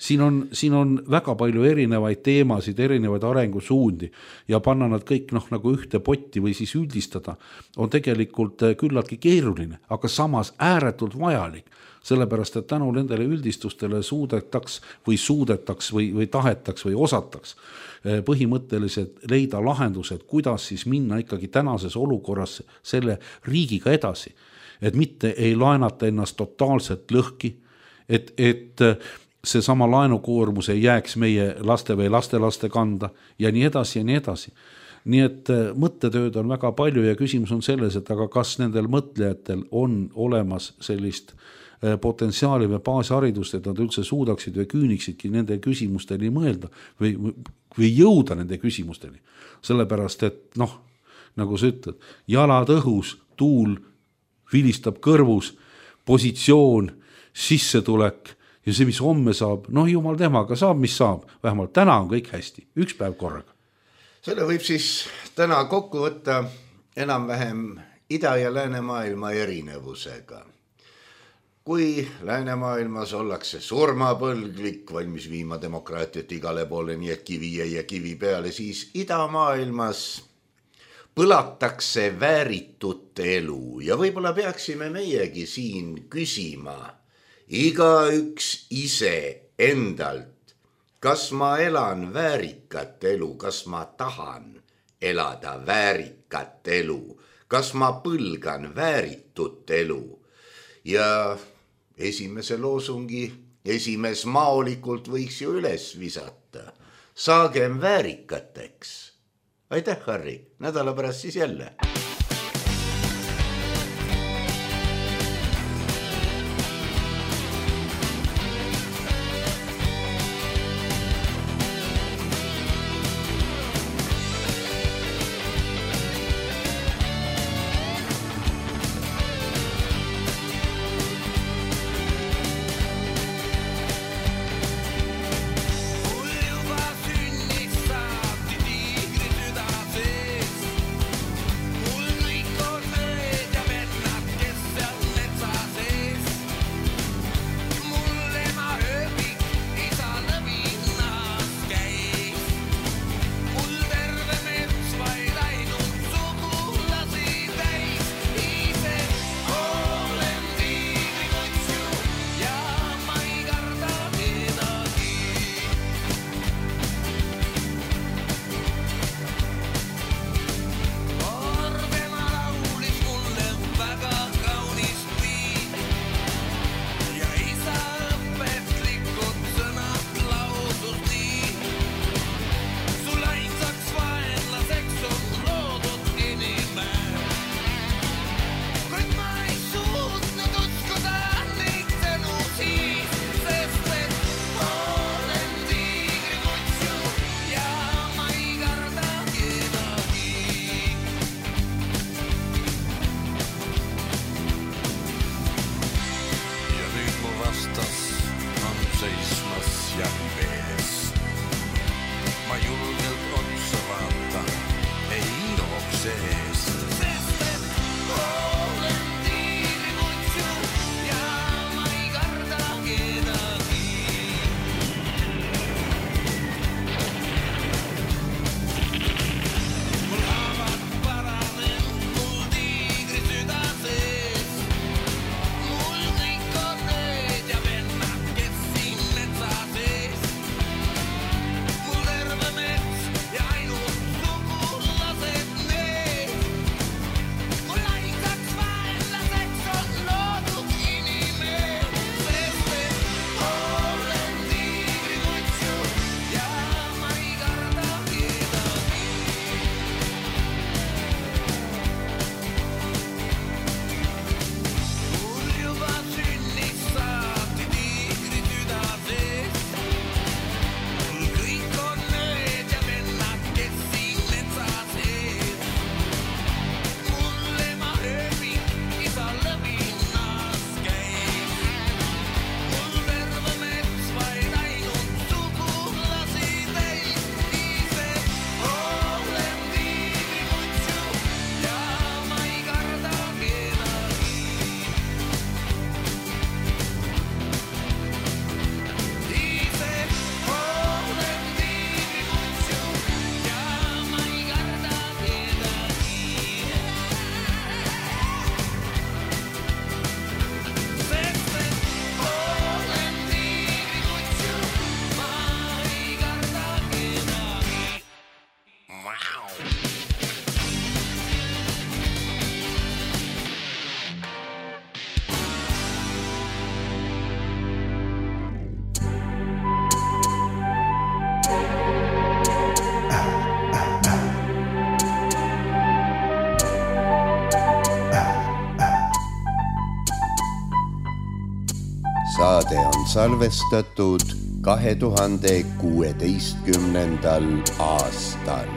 Siin on, siin on väga palju erinevaid teemasid, erinevaid arengusuundi ja panna nad kõik noh, nagu ühte potti või siis üldistada on tegelikult küllaltki keeruline, aga samas ääretult vajalik, sellepärast et tänu nendele üldistustele suudetaks või suudetaks või, või tahetaks või osataks põhimõtteliselt leida lahendused, kuidas siis minna ikkagi tänases olukorras selle riigiga edasi, et mitte ei laenata ennast totaalselt lõhki, et, et see sama laenukoormus ei jääks meie laste või lastelaste kanda ja nii edasi ja nii edasi. Nii et mõttetööd on väga palju ja küsimus on selles, et aga kas nendel mõtlejatel on olemas sellist potentsiaali või baasharidust, et nad üldse suudaksid või küüniksidki nende küsimusteni mõelda või, või jõuda nende küsimusteni. Sellepärast, et noh, nagu sa ütled, jalad õhus, tuul vilistab kõrvus, positsioon, sissetulek ja see, mis homme saab, noh jumal temaga saab, mis saab. Vähemalt täna on kõik hästi, üks päev korraga. Selle võib siis täna kokku võtta enam-vähem ida- ja läänemaailma erinevusega. Kui läänemaailmas ollakse surmapõlglik, valmis viima demokraatiat igale poole, nii et kivi jäi ja kivi peale, siis idamaailmas põlatakse vääritut elu ja võib-olla peaksime meiegi siin küsima iga üks ise endalt, kas ma elan väärikat elu, kas ma tahan elada väärikat elu, kas ma põlgan vääritut elu. Ja esimese loosungi esimees maolikult võiks ju üles visata. Saagem väärikateks. Aitäh, Harri, nädala pärast siis jälle. Mul Saade on salvestatud kahe tuhande kuueteistkümnendal aastal.